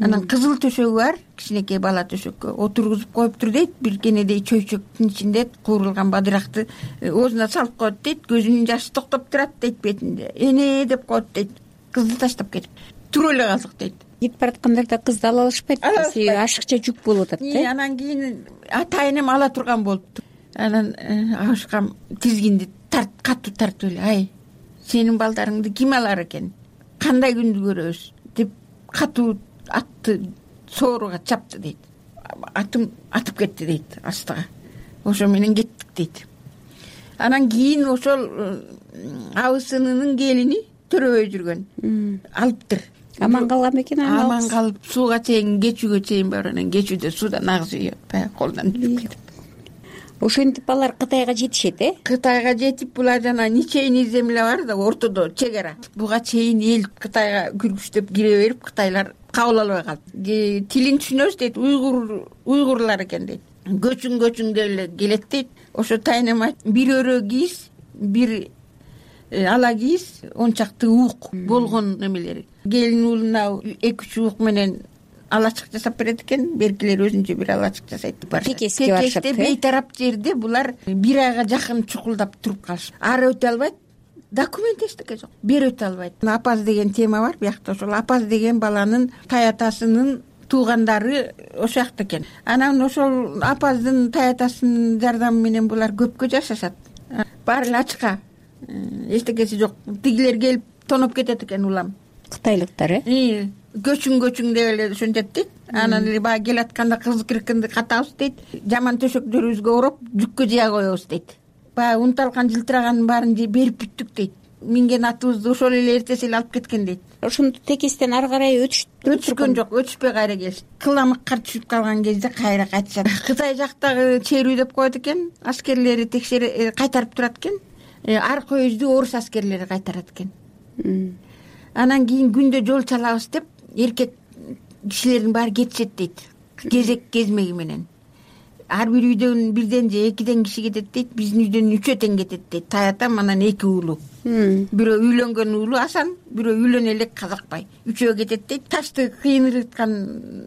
Анан кызыл төшөгү бар, кичинекей бала төшөккө отургузуп коюптур дейт. Бир кенедей чөйчөктүн ичинде куурулган бадыракты оозуна салып коет дейт. Көзүнүн жашы токтоп турат дейт бетинде. Эне деп коет дейт. Кызды таштап кетип туруп эле калдык дейт. Кетип бараткандарда кызды ала алышпайт, ашыкча жүк болуп атат да. Анан кийин атайынем ала турган болуптур. Анан Абышкам тизгинди тарт, катуу тартып эле, ай, сенин балдарыңды ким алар экен? Кандай күндү көрөбүз деп катуу атты сооруга чапты дейт. Атым атып кетти дейт астыга. ошо менен кеттик дейт. Анан кийин ошол абысынынын келини төрөбөй жүргөн алыптыр. Аман калган бекен? Аман калып сууга чейин, кечүүгө чейин бар. Анан кечүүдө суудан агыз үйөп баягы колдон жүрүп кетип. Ошентип алар Кытайга жетишет, э? Кытайга жетип, булар жана ничейный земля бар да, ортодо чек ара. Буга чейин эл Кытайга күргүчтөп кире берип, кытайлар кабыл албай калды. Тилин түшүнөбүз дейт, уйгур уйгурлар экен дейт. Көчүң көчүң деп эле келет дейт. Ошо тайнама бир өрө кийиз, бир ала кийиз, он чакты уук болгон немелери. Келин уулуна эки үч уук менен алачык жасап берет экен, беркилер өзүнчө бир алачык жасайт. Текеске барышат. Текесте бейтарап жерде булар бир айга жакын чукулдап туруп калышат. Ары өтө албайт, документ эчтеке жок. Бери өтө албайт. Апаз деген тема бар биякта. Ошол апаз деген баланын таятасынын туугандары ошол жакта экен. Анан ошол апаздын таятасынын жардамы менен булар көпкө жашашат. Баары эле ачка, эчтекеси жок. Тигилер келип тоноп кетет экен улам. Кытайлыктар, э? Көчүң көчүң деп эле ошентет дейт. Анан эле баягы келатканда кызык киркинди катабыз дейт. Жаман төшөктөрүбүзгө ороп, жүккө жыя коебуз дейт. Баягы унталган жылтыраганын баарын берип бүттүк дейт. Минген атыбызды ошол эле эртеси эле алып кеткен дейт. Ошондо текестен ары карай өтүшкөн жок, өтүшпөй кайра келишти. Кыламыкка түшүп калган кезде кайра кайтышат. Кытай жактагы черүү деп коет экен, аскерлери текшере кайтарып турат экен. Аркы өздү орус аскерлери кайтарат экен. Анан кийин күндө жол чалабыз деп эркек кишилердин баары кетишет дейт. Кезек кезмеги менен. Ар бир үйдөн бирден же экиден киши кетет дейт. Биздин үйдөн үчөө тең кетет дейт. Таятам анан эки уулу. Бирөө үйлөнгөн уулу Асан, бирөө үйлөнө элек Казакбай. Үчөө кетет дейт. Ташты кыйын ыргыткан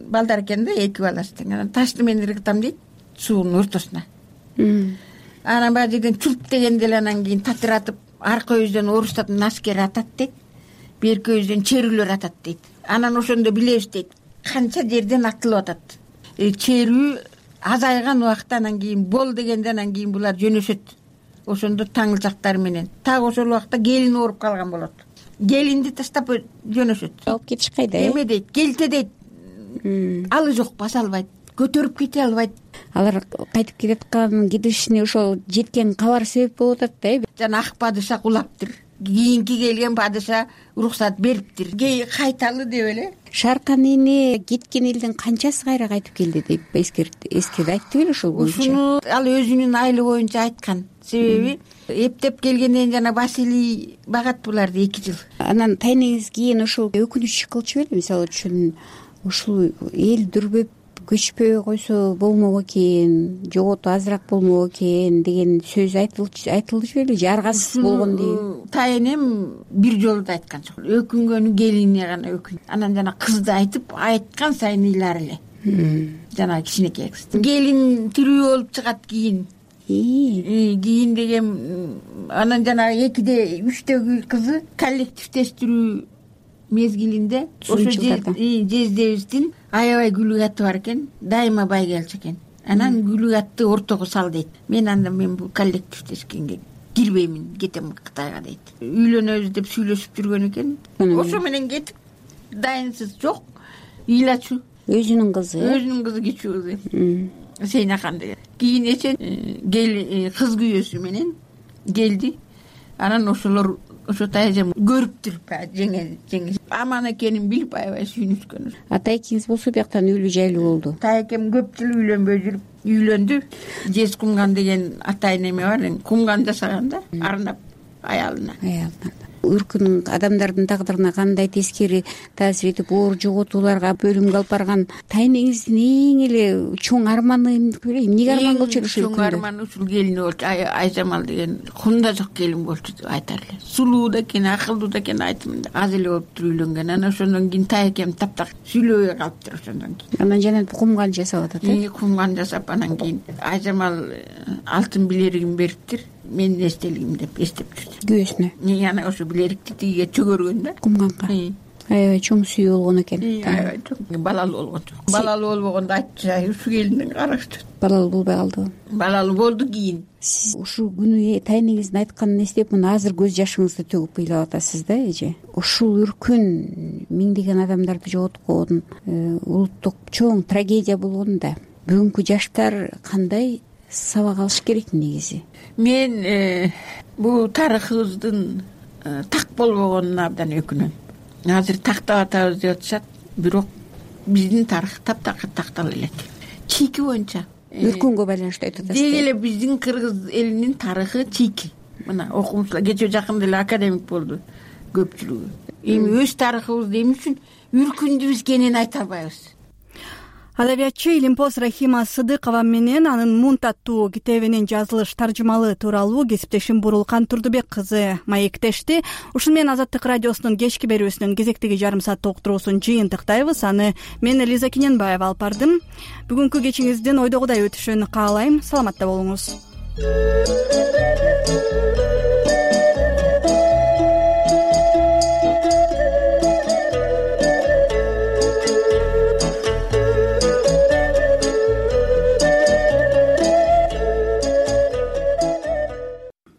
балдар экен да, эки баласы тең. Анан ташты мен ыргытам дейт суунун ортосуна. Анан баягы жерден чулп дегенде эле анан кийин татыратып, аркы өздөн орустардын аскери атат дейт. Берки өздөн черүүлөр атат дейт. Анан ошондо билебиз дейт, канча жерден атылып атат. Черүү азайган убакта анан кийин бол дегенде анан кийин булар жөнөшөт. Ошондо таңылчактары менен. Так ошол убакта келин ооруп калган болот. Келинди таштап жөнөшөт. Алып кетиш кайда? Эме дейт, келте дейт. Алы жок, баса албайт, көтөрүп кете албайт. Алар кайтып келаткан кидишине ошол жеткен кабар себеп болуп атат да, э? Жана ак падыша кулаптыр. Кийинки келген падыша уруксат бериптир. Кайталы деп эле. Шаркан эне кеткен элдин канчасы кайра кайтып келди деп эскерди айтты беле ошол боюнча? Ушуну ал өзүнүн айылы боюнча айткан. Себеби эптеп келгенден жана Василий багат буларды эки жыл. Анан тайнеңиз кийин ошол өкүнүч кылчу беле? Мисалы үчүн ушул эл дүрбөп көчпөй койсо болмок экен, жоготу азыраак болмок экен деген сөз айтылды беле? Жаргасыз болгон дейт. Тайнем бир жолу да айткан жок. Өкүнгөнү келине гана өкүн. Анан жана кызды айтып, айткан сайын ыйлар эле. Жана кичинекей кыз. Келин тирүү болуп чыгат кийин. Кийин деген анан жана экиде үчтөгү кызы коллективдештирүү мезгилинде ошо жездебиздин аябай күлүк аты бар экен, дайыма бай келчү экен. Анан күлүк атты ортого сал дейт. Мен анда мен бул коллективдешкенге кирбеймин, кетем Кытайга дейт. Үйлөнөбүз деп сүйлөшүп жүргөн экен. Ошо менен кетип, дайынсыз жок, ыйлачу. Өзүнүн кызы. Өзүнүн кызы кичүү кызы. Сейнахан деген. Кийин эче кел кыз күйөөсү менен келди. Анан ошолор ошо тайжам көрүптүр, жеңе жеңе аман экенин билип аябай сүйүнүшкөн. Атайкеңиз болсо бияктан үйлүү жайлуу болду. Тайкем көп жыл үйлөнбөй жүрүп үйлөндү. Жез Кумган деген атай неме бар, кумган жасаган да, арнап аялына. Аялына. Өркүн адамдардын тагдырына кандай тескери таасир этип, оор жоготууларга бөлүмгө алып барган тайнеңиздин эң эле чоң арманы эмне беле? Эмнеге арман кылчу ушул чоң арманы ушул келини болчу. Айжамал деген кумда жок келин болчу деп айтар эле. Сулуу да экен, акылдуу да экен айтымын да. Аз эле болуп туруп үйлөнгөн. Анан ошондон кийин тайкем таптак сүйлөбөй калыптыр ошондон кийин. Анан жана кумган жасап атат, э? Кумган жасап анан кийин Айжамал алтын билеригин бериптир. Менин эстелигим деп эстеп жүрдү. Күйөөсүнө. Анан ошо билерикти тигиге чөгөргөн да. Кумганга. Аябай чоң сүйүү болгон экен. Аябай чоң. Балалуу болгон жок. Балалуу болбогондо айтчу, ушу келиндин карашы. Балалуу болбой калдыбы? Балалуу болду кийин. Сиз ушул күнү тайнеңиздин айтканын эстеп, мына азыр көз жашыңызды төгүп ыйлап атасыз да, эже. Ушул үркүн миңдеген адамдарды жоготкон улуттук чоң трагедия болгон да. Бүгүнкү жаштар кандай сабак алыш керек негизи. Мен бул тарыхыбыздын так болбогонуна абдан өкүнөм. Азыр тактап атабыз деп атышат, бирок биздин тарых таптакыр тактала элек. Чийки боюнча Үркүнгө байланыштуу айтып атасыз. Деги эле биздин кыргыз элинин тарыхы чийки. Мына окумуштар кечээ жакында эле академик болду көпчүлүгү. Эми өз тарыхыбызды эмне үчүн үркүндүбүз экенин айта албайбыз. Адабиятчы Илимпоз Рахима Сыдыкова менен анын Мунт аттуу китебинин жазылыш таржымалы тууралуу кесиптешим Бурулкан Турдубек кызы маектешти. Ушуну менен Азаттык радиосунун кечки берүүсүнүн кезектеги жарым сааттык уктуруусун жыйынтыктайбыз. Аны мен Элиза Киненбаева алып бардым. Бүгүнкү кечиңиздин ойдогудай өтүшүн каалайм. Саламатта болуңуз.